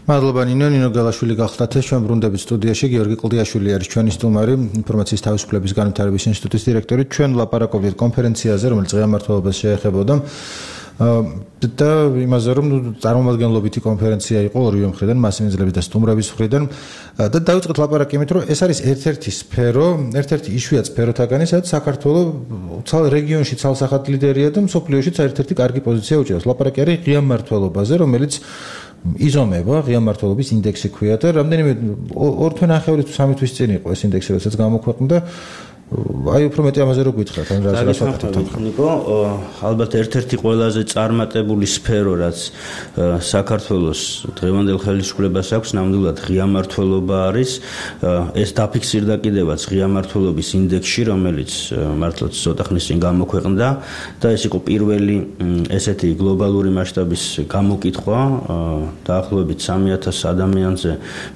მადლობა ნინო ნინო გელაშვილი გახლავთ ჩვენ ბრუნდებით სტუდიაში გიორგი კლდიაშვილი არის ჩვენი სტუმარი ინფორმაციის თავისუფლების განვითარების ინსტიტუტის დირექტორი ჩვენ ვლაპარაკობთ კონფერენციაზე რომელიც ღია მართლობას შეეხებოდა და იმაზე რომ წარმომადგენლობითი კონფერენცია იყო ორივე მხრიდან მასინძლების და სტუმრების მხრიდან და დავიწყეთ ლაპარაკი იმით რომ ეს არის ერთ-ერთი სფერო ერთ-ერთი იშვიათ სფეროთაგანი სადაც საქართველოს ცალ რეგიონში ცალსახად ლიდერია და მსოფლიოშიც ერთ-ერთი კარგი პოზიცია უჭერს ლაპარაკი არის ღია მართლობაზე რომელიც იზომება ღია მართლობის ინდექსი ქვია და რამდენიმე ორ თვე ნახევარი თუ სამი თვის წინ იყო ეს ინდექსი რასაც გამოქვეყნდა აი უფრო მეტი ამაზე რო გითხრათ ან რა რა საკითხია ნიკო ალბათ ერთ-ერთი ყველაზე წარმატებული სფერო რაც საქართველოს დღევანდელ ხელისუფლებას აქვს ნამდვილად ღია მართლობა არის ეს დაფიქსირდა კიდევაც ღია მართლობის ინდექსში რომელიც მართლაც ცოტა ხნის წინ გამოქვეყნდა და ეს იყო პირველი ესეთი გლობალური მასშტაბის გამოკითხვა დაახლოებით სამი ათასი ადამიანზე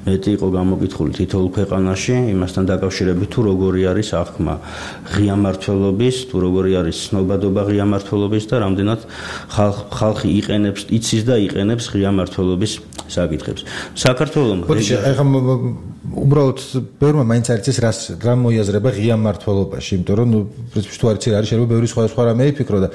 მეტი იყო გამოკითხული თითოეულ ქვეყანაში იმასთან დაკავშირებით თუ როგორი არის აღქმა ღია მართლობის თუ როგორი არის ცნობადობა ღია მართლობის და რამდენად ხალხი იყენებს იცის და იყენებს ღია მართლობის საკითხებს. საქართველოს ეხლა უბრალოდ ბევრმა მაინც არ იცის რას რა მოიაზრება ღია მმართველობაში, იმიტომ რომ ნუ პრინციპში თუ არ იცი რა არის შეიძლება ბევრი სხვა სხვა რამე იფიქრო და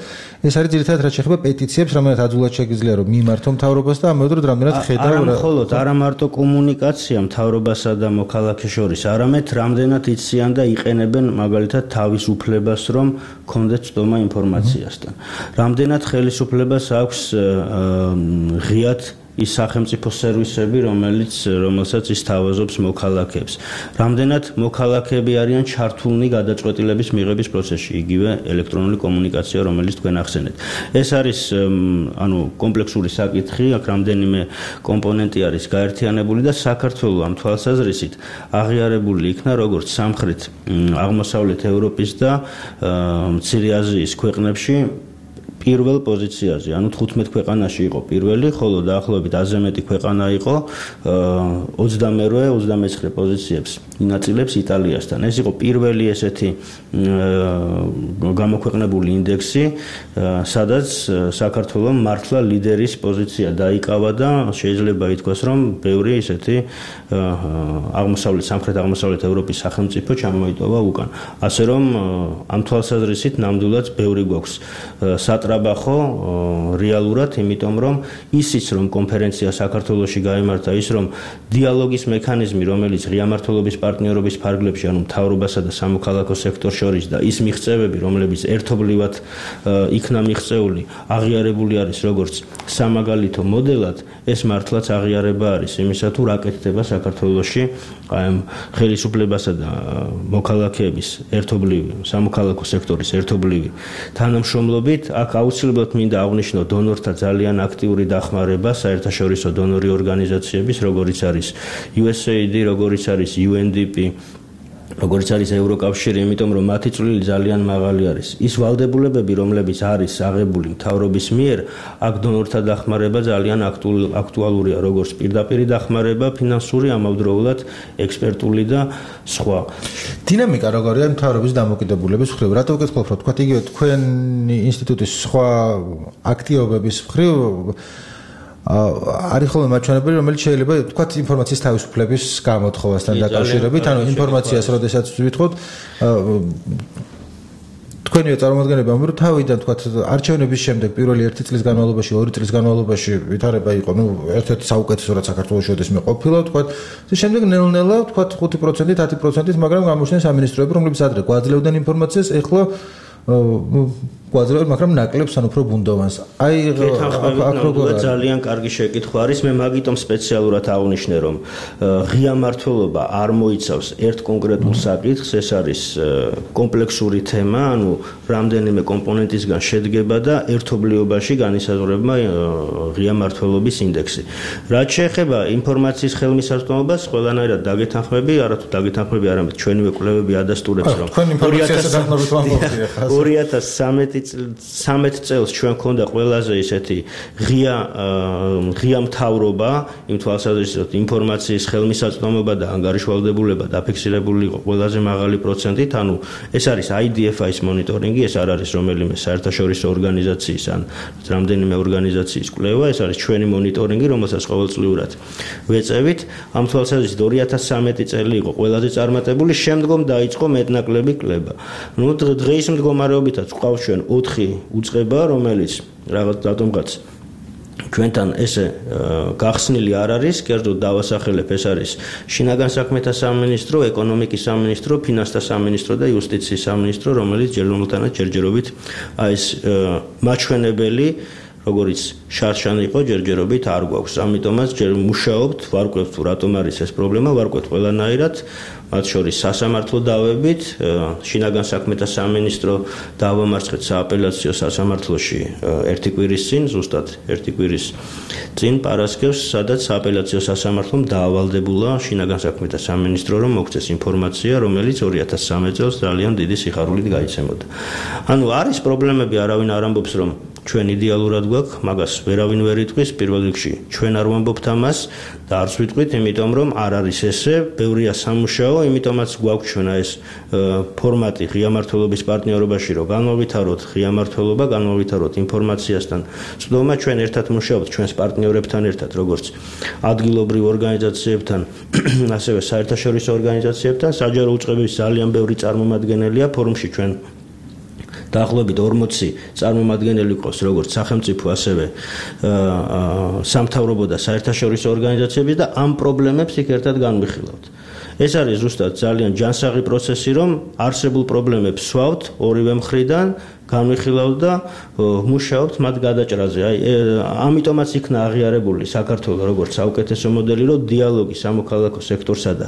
ეს არის ძირითადად რაც შეეხება პეტიციებს, რომელთაც აძულად შეგიძლია რომ მიმართო მთავრობას და ამავდროულად რამდენად ხედავ არა მხოლოდ არა მარტო კომუნიკაცია მთავრობასა და მოქალაქეს შორის, არამედ რამდენად იციან და იყენებენ მაგალითად თავის უფლებას რომ კონდეთ ცდომა ინფორმაციასთან. რამდენად ხელისუფლებას აქვს ღიად ის სახელმწიფო სერვისები, რომელიც რომელსაც ის თავაზობს მოქალაქეებს. რამდენად მოქალაქეები არიან ჩართულნი გადაწყვეტილების მიღების პროცესში, იგივე ელექტრონული კომუნიკაცია, რომელიც თქვენ ახსენეთ. ეს არის ანუ კომპლექსური საკითხი, აქ რამდენიმე კომპონენტი არის გაერთიანებული და საქართველოს ამ თვალსაზრისით აღიარებული იქნა როგორც სამხრეთ აღმოსავლეთ ევროპის და მცირე აზიის ქვეყნებში პირველ პოზიციაზე, ანუ თხუთმეტ ქვეყანაში იყო პირველი, ხოლო დაახლოებით ათზე მეტი ქვეყანა იყო ოცდამერვე ოცდამეცხრე პოზიციებს ინაწილებს იტალიასთან. ეს იყო პირველი ესეთი გამოქვეყნებული ინდექსი, სადაც საქართველოს მართლა ლიდერის პოზიცია დაიკავა და შეიძლება ითქვას, რომ ბევრი ესეთი აღმოსავლეთ სამხრეთ აღმოსავლეთ ევროპის სახელმწიფო ჩამოიტოვა უკან. ასე რომ ამ თვალსაზრისით ნამდვილად ბევრი გვაქვს სატრაბახო რეალურად, იმიტომ რომ ისიც რომ კონფერენცია საქართველოში გაიმართა, ის რომ დიალოგის მექანიზმი, რომელიც ღია მმართველობის პარტნიორობის ფარგლებში, ანუ მთავრობასა და სამოქალაქო სექტორს შორის და ის მიღწევები, რომლებიც ერთობლივად იქნა მიღწეული, აღიარებული არის როგორც სამაგალითო მოდელად, ეს მართლაც აღიარება არის იმისა, თუ რა კეთდება საქართველოში აი ამ ხელისუფლებასა და მოქალაქეების ერთობლივი, სამოქალაქო სექტორის ერთობლივი თანამშრომლობით. აქ აუცილებლად მინდა აღვნიშნო დონორთა ძალიან აქტიური დახმარება, საერთაშორისო დონორი ორგანიზაციების, როგორიც არის იუ ეს ეი აი დი, როგორიც არის იუ en di pi, როგორც არის ევროკავშირი, იმიტომ რომ მათი წვლილი ძალიან მაღალი არის. ის ვალდებულებები, რომლებიც არის აღებული მთავრობის მიერ, აქ დონორთა დახმარება ძალიან აქტუალურია, როგორც პირდაპირი დახმარება, ფინანსური, ამავდროულად ექსპერტული და სხვა. დინამიკა როგორია მთავრობის დამოკიდებულების მხრივ? რატო ვკითხულობ, რომ თქვა იგივე თქვენი ინსტიტუტის სხვა აქტივობების მხრივ არის ხოლმე მაჩვენებელი, რომელიც შეიძლება თქვა ინფორმაციის თავისუფლების გამოთხოვასთან დაკავშირებით, ანუ ინფორმაციას როდესაც ვითხოვთ თქვენია წარმოადგენები ამ რომ თავიდან თქვა არჩევნების შემდეგ პირველი ერთი წლის განმავლობაში, ორი წლის განმავლობაში ვითარება იყო, ნუ ერთ-ერთი საუკეთესო რაც საქართველოს შედესმე ყოფილა, თქვა და შემდეგ ნელ-ნელა თქვა ხუთი პროცენტით, ათი პროცენტით, მაგრამ გამოჩნდნენ სამინისტროები, რომლებიც ადრე გვაძლევდნენ ინფორმაციას, ეხლა გვაძლევენ, მაგრამ ნაკლებს ან უფრო ბუნდოვანს. აი აქ როგორია ძალიან კარგი შეკითხვა არის, მე მაგიტომ სპეციალურად აღვნიშნე, რომ ღია მმართველობა არ მოიცავს ერთ კონკრეტულ საკითხს, ეს არის კომპლექსური თემა, ანუ რამდენიმე კომპონენტისგან შედგება და ერთობლიობაში განისაზღვრება ღია მმართველობის ინდექსი. რაც შეეხება ინფორმაციის ხელმისაწვდომობას, ყველანაირად დაგეთანხმები, არათუ დაგეთანხმები, არამედ ჩვენივე კვლევები ადასტურებს, რომ ორი ათას სამეტ წელს ჩვენ ქონდა ყველაზე ისეთი ღია ღია მთავრობა, იმ თვალსაზრისით ინფორმაციის ხელმისაწვდომობა და ანგარიშვალდებულება დაფიქსირებული იყო ყველაზე მაღალი პროცენტით, ანუ ეს არის აი დი ეფ აის მონიტორინგი, ეს არ არის რომელიმე საერთაშორისო ორგანიზაციის ან რამდენიმე ორგანიზაციის კვლევა, ეს არის ჩვენი მონიტორინგი, რომელსაც ყოველწლიურად ვეწევით. ამ თვალსაზრისით ორი ათას სამეტი წელი იყო ყველაზე წარმატებული, შემდგომ დაიწყო მეტნაკლები კვლევა. ნუ დღეის მდგომარეობითაც გვყავს ჩვენ ოთხი უწყება, რომელიც რაღაც რატომღაც ჩვენთან ესე გახსნილი არ არის, კერძოდ დავასახელებ, ეს არის შინაგან საქმეთა სამინისტრო, ეკონომიკის სამინისტრო, ფინანსთა სამინისტრო და იუსტიციის სამინისტრო, რომელიც ჯერჯერობით ჯერჯერობით აი ეს მაჩვენებელი როგორც შარშან იყო ჯერჯერობით არ გვაქვს. ამიტომაც ჯერ მუშაობთ, ვარკვევთ თუ რატომ არის ეს პრობლემა, ვარკვევთ ყველანაირად, მათ შორის სასამართლო დავებით, შინაგან საქმეთა სამინისტრო დავამარცხეთ სააპელაციო სასამართლოში ერთი კვირის წინ, ზუსტად ერთი კვირის წინ პარასკევს, სადაც სააპელაციო სასამართლომ დაავალდებულა შინაგან საქმეთა სამინისტრო, რომ მოგცეს ინფორმაცია, რომელიც ორი ათას სამი წელს ძალიან დიდი სიხარულით გაიცემოდა. ანუ არის პრობლემები, არავინ არ ამბობს, რომ ჩვენ იდეალურად გვაქვს, მაგას ვერავინ ვერ იტყვის, პირველ რიგში ჩვენ არ ვამბობთ ამას და არც ვიტყვით, იმიტომ რომ არ არის ესე, ბევრია სამუშაო, იმიტომაც გვაქვს ჩვენ ეს ფორმატი ღია მმართველობის პარტნიორობაში, რომ განმოვითაროთ ღია მმართველობა, განმოვითაროთ ინფორმაციასთან. წვდომა ჩვენ ერთად მუშაობთ ჩვენს პარტნიორებთან ერთად, როგორც ადგილობრივ ორგანიზაციებთან, ასევე საერთაშორისო ორგანიზაციებთან, საჯარო უწყებების ძალიან ბევრი წარმომადგენელია ფორუმში ჩვენ დაახლოებით ორმოცი წარმომადგენელი ყავს როგორც სახელმწიფო ასევე სამთავრობო და საერთაშორისო ორგანიზაციების და ამ პრობლემებს იქ ერთად განვიხილავთ. ეს არის ზუსტად ძალიან ჯანსაღი პროცესი, რომ არსებულ პრობლემებს ვსვავთ ორივე მხრიდან, განვიხილავთ და მუშაობთ მათ გადაჭრაზე. აი, ამიტომაც იქნა აღიარებული საქართველოს როგორც საუკეთესო მოდელი, რომ დიალოგი სამოქალაქო სექტორსა და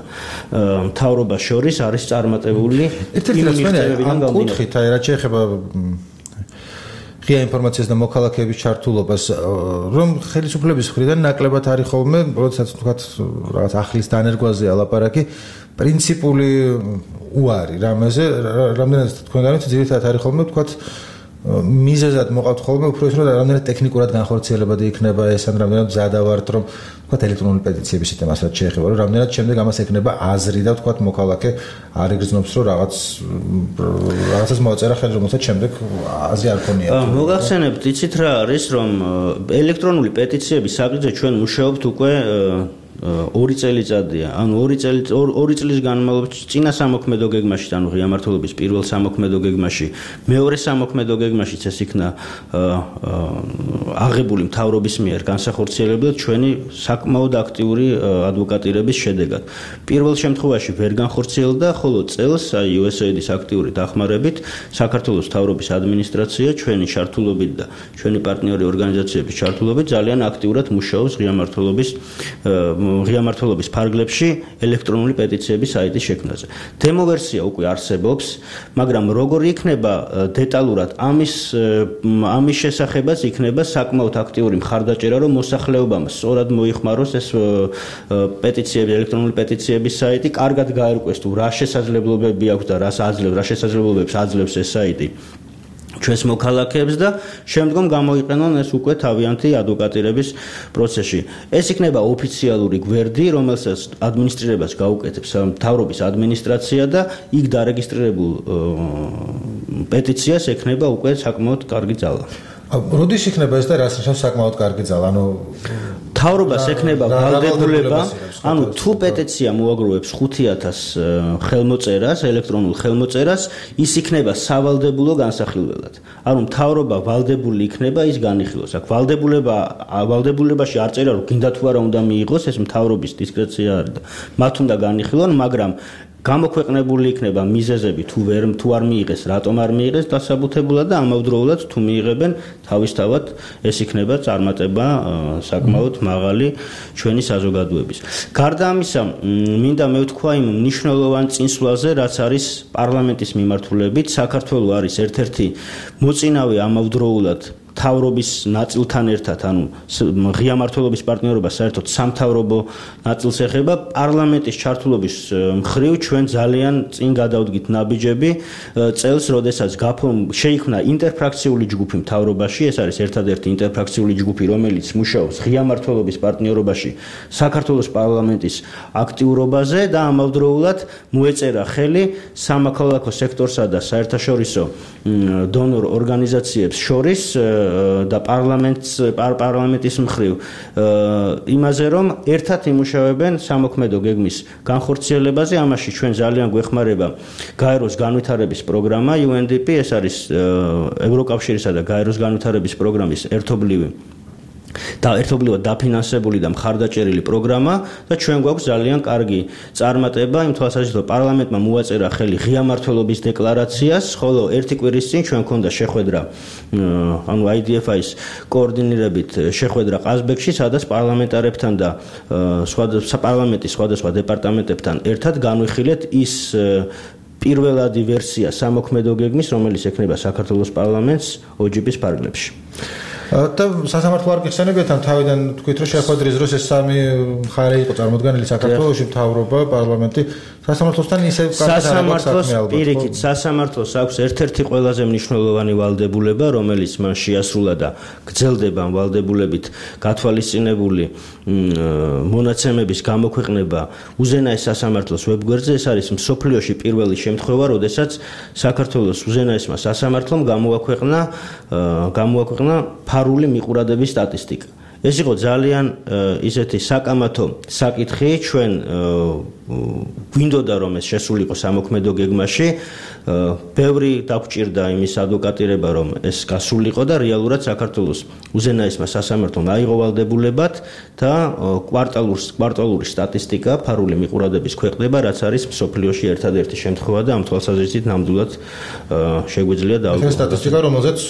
მთავრობას შორის არის წარმატებული. ერთ-ერთი რაც მე ამ კუთხით, აი, რაც შეეხება ღია ინფორმაციას და მოქალაქეების ჩართულობას, რომ ხელისუფლების მხრიდან ნაკლებად არის ხოლმე, როდესაც თქვათ რაღაც ახლის დანერგვაზე ალაპარაკი, პრინციპული უარი რამეზე, რამდენად თქვენგანით ძირითადად არის ხოლმე, თქვათ მიზეზად მოყავთ ხოლმე უფრო ის რომ რამდენად ტექნიკურად განხორციელებადი იქნება ეს ან რამდენად მზადავართ რომ თქვათ ელექტრონული პეტიციების სისტემას რაც შეეხება რომ რამდენად შემდეგ ამას ექნება აზრი და თქვათ მოქალაქე არ იგრძნობს რომ რაღაც რაღაცას მოაწერა ხელი რომელსაც შემდეგ აზრი არ ქონია. მოგახსენებთ, იცით რა არის რომ ელექტრონული პეტიციების საკითხზე ჩვენ მუშაობთ უკვე ორი წელიწადია, ანუ ორი წელი ორი წლის განმავლობაში წინა სამოქმედო გეგმაში, ანუ ღია მმართველობის პირველ სამოქმედო გეგმაში, მეორე სამოქმედო გეგმაშიც ეს იქნა აღებული მთავრობის მიერ განსახორციელებლად ჩვენი საკმაოდ აქტიური ადვოკატირების შედეგად. პირველ შემთხვევაში ვერ განხორციელდა, ხოლო წელს აი იუ ეს ეი დის აქტიური დახმარებით საქართველოს მთავრობის ადმინისტრაცია ჩვენი ჩართულობით და ჩვენი პარტნიორი ორგანიზაციების ჩართულობით ძალიან აქტიურად მუშაობს ღია მმართველობის ღია მმართველობის ფარგლებში ელექტრონული პეტიციების საიტის შექმნაზე. დემო ვერსია უკვე არსებობს, მაგრამ როგორ იქნება დეტალურად ამის ამის შესახებაც იქნება საკმაოდ აქტიური მხარდაჭერა, რომ მოსახლეობამ სწორად მოიხმაროს ეს პეტიციები, ელექტრონული პეტიციების საიტი, კარგად გაერკვეს თუ რა შესაძლებლობები აქვს და რას აძლევს, რა შესაძლებლობებს აძლევს ეს საიტი ჩვენს მოქალაქეებს და შემდგომ გამოიყენონ ეს უკვე თავიანთი ადვოკატირების პროცესში. ეს იქნება ოფიციალური გვერდი, რომელსაც ადმინისტრირებას გაუკეთებს მთავრობის ადმინისტრაცია და იქ დარეგისტრირებულ პეტიციას ექნება უკვე საკმაოდ კარგი ძალა. როდის იქნება ეს და რას ნიშნავს საკმაოდ კარგი ძალა? ანუ მთავრობას ექნება ვალდებულება, ანუ თუ პეტიცია მოაგროვებს ხუთი ათასი ხელმოწერას, ელექტრონულ ხელმოწერას, ის იქნება სავალდებულო განსახილველად. ანუ მთავრობა ვალდებული იქნება ის განიხილოს. აქ ვალდებულება ვალდებულებაში არ წერია რომ გინდა თუ არა უნდა მიიღოს, ეს მთავრობის დისკრეცია არის და მათ უნდა განიხილონ, მაგრამ გამოქვეყნებული იქნება მიზეზები თუ ვერ თუ არ მიიღეს, რატომ არ მიიღეს დასაბუთებულად და ამავდროულად თუ მიიღებენ თავისთავად ეს იქნება წარმატება საკმაოდ მაღალი ჩვენი საზოგადოების. გარდა ამისა, მინდა მევთქვა იმ მნიშვნელოვან წინსვლაზე, რაც არის პარლამენტის მიმართულებით, საქართველოს არის ერთ-ერთი მოწინავე ამავდროულად მთავრობის ნაწილთან ერთად, ანუ ღია მმართველობის პარტნიორობა საერთოდ სამთავრობო ნაწილს ეხება, პარლამენტის ჩართულობის მხრივ ჩვენ ძალიან წინ გადავდგით ნაბიჯები წელს, როდესაც შეიქმნა ინტერფრაქციული ჯგუფი მთავრობაში, ეს არის ერთადერთი ინტერფრაქციული ჯგუფი, რომელიც მუშაობს ღია მმართველობის პარტნიორობაში საქართველოს პარლამენტის აქტიურობაზე და ამავდროულად მოეწერა ხელი სამოქალაქო სექტორსა და საერთაშორისო დონორ ორგანიზაციებს შორის და პარლამენტს პარლამენტის მხრივ იმაზე რომ ერთად იმუშავებენ სამოქმედო გეგმის განხორციელებაზე. ამაში ჩვენ ძალიან გვეხმარება გაეროს განვითარების პროგრამა იუ ენ დი პი, ეს არის ევროკავშირისა და გაეროს განვითარების პროგრამის ერთობლივი და ერთობლივად დაფინანსებული და მხარდაჭერილი პროგრამა და ჩვენ გვაქვს ძალიან კარგი წარმატება იმ თვალსაზრისით, რომ პარლამენტმა მოაწერა ხელი ღია მმართველობის დეკლარაციას, ხოლო ერთი კვირის წინ ჩვენ გქონდა შეხვედრა, ანუ აი დი ეფ აის კოორდინირებით შეხვედრა ყაზბეგში, სადაც პარლამენტარებთან და სხვადასხვა პარლამენტის სხვადასხვა დეპარტამენტებთან ერთად განვიხილეთ ის პირველადი ვერსია სამოქმედო გეგმის, რომელიც ექნება საქართველოს პარლამენტს ო ჯი პის ფარგლებში. და სასამართლო არ გიხსენებიათ ამ თავიდან თქვით რომ შეხვედრის დროს ეს სამი მხარე იყო წარმოდგენილი საქართველოში მთავრობა, პარლამენტი სასამართლოსთან ისევ სასამართლოს პირიქით სასამართლოს აქვს ერთ-ერთი ყველაზე მნიშვნელოვანი ვალდებულება, რომელიც მან შეასრულა და გრძელდება ამ ვალდებულებით გათვალისწინებული მონაცემების გამოქვეყნება უზენაეს სასამართლოს ვებგვერდზე. ეს არის მსოფლიოში პირველი შემთხვევა, როდესაც საქართველოს უზენაესმა სასამართლომ გამოაქვეყნა გამოაქვეყნა ფარული მიყურადების სტატისტიკა. ეს იყო ძალიან ისეთი საკამათო საკითხი, ჩვენ გვინდოდა რომ ეს შესულიყო სამოქმედო გეგმაში, ბევრი დაგვჭირდა იმის ადვოკატირება რომ ეს გასულიყო და რეალურად საქართველოს უზენაესმა სასამართლომ აიღო ვალდებულებად და კვარტალურ კვარტალური სტატისტიკა ფარული მიყურადების ქვეყნება, რაც არის მსოფლიოში ერთადერთი შემთხვევა და ამ თვალსაზრისით ნამდვილად შეგვიძლია დავუკვირდეთ. ეს სტატისტიკა რომელზეც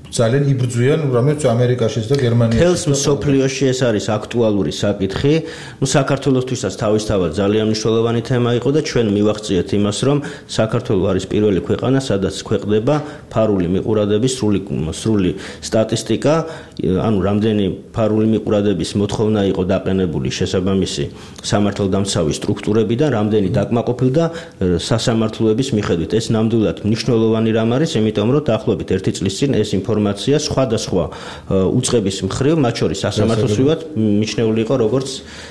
ძალიან იბრძვიან რომელიც ამერიკაშიც და გერმანიაში. თელს მსოფლიოში ეს არის აქტუალური საკითხი. ნუ საქართველოსთვისაც თავისთავად ძალიან მნიშვნელოვანი თემა იყო და ჩვენ მივახციეთ იმას, რომ საქართველო არის პირველი ქვეყანა, სადაც ქვეყდება ფარული მიყურადების სრული სრული სტატისტიკა, ანუ რამდენი ფარული მიყურადების მოთხოვნა იყო დაყენებული შესაბამისი სამართალდამცავი სტრუქტურებიდან, რამდენი დაკმაყოფილდა სასამართლოების მიხედვით. ეს ნამდვილად მნიშვნელოვანი რამ არის, იმიტომ რომ დაახლოებით ერთი წლის წინ ეს ინფორმაცია სხვადასხვა უწყების მხრივ, მათ შორის სასამართლოს ვივად მიჩნეული იყო როგორც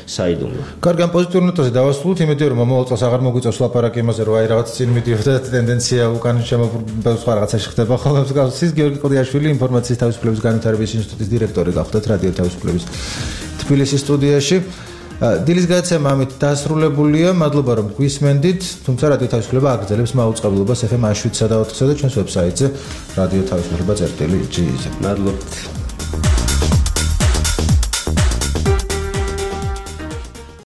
საიდუმლო. კარგი, ამ პოზიტიურ ნოტაზე დავასრულოთ, იმედია რომ მომავალ წელს აღარ მოგვიწევს ლაპარაკი იმაზე, რომ აი რაღაც წინ მიდიოდა ტენდენცია უკან შემობრუნდა სხვა რაღაცაში ხდება ხოლმე. მსგავსის გიორგი ყოდიაშვილი, ინფორმაციის თავისუფლების განვითარების ინსტიტუტის დირექტორი გახდათ რადიო თავისუფლების თბილისის სტუდიაში. დილის გადაცემა ამით დასრულებულია. მადლობა რომ გვისმენდით. თუმცა რადიო თავისუფლება აგრძელებს მაუწყებლობას ეფ ემ შვიდსა და ოთხსა და ჩვენს ვებსაიტზე რადიო თავისუფლება წერტილი ჯი ზე. მადლობთ.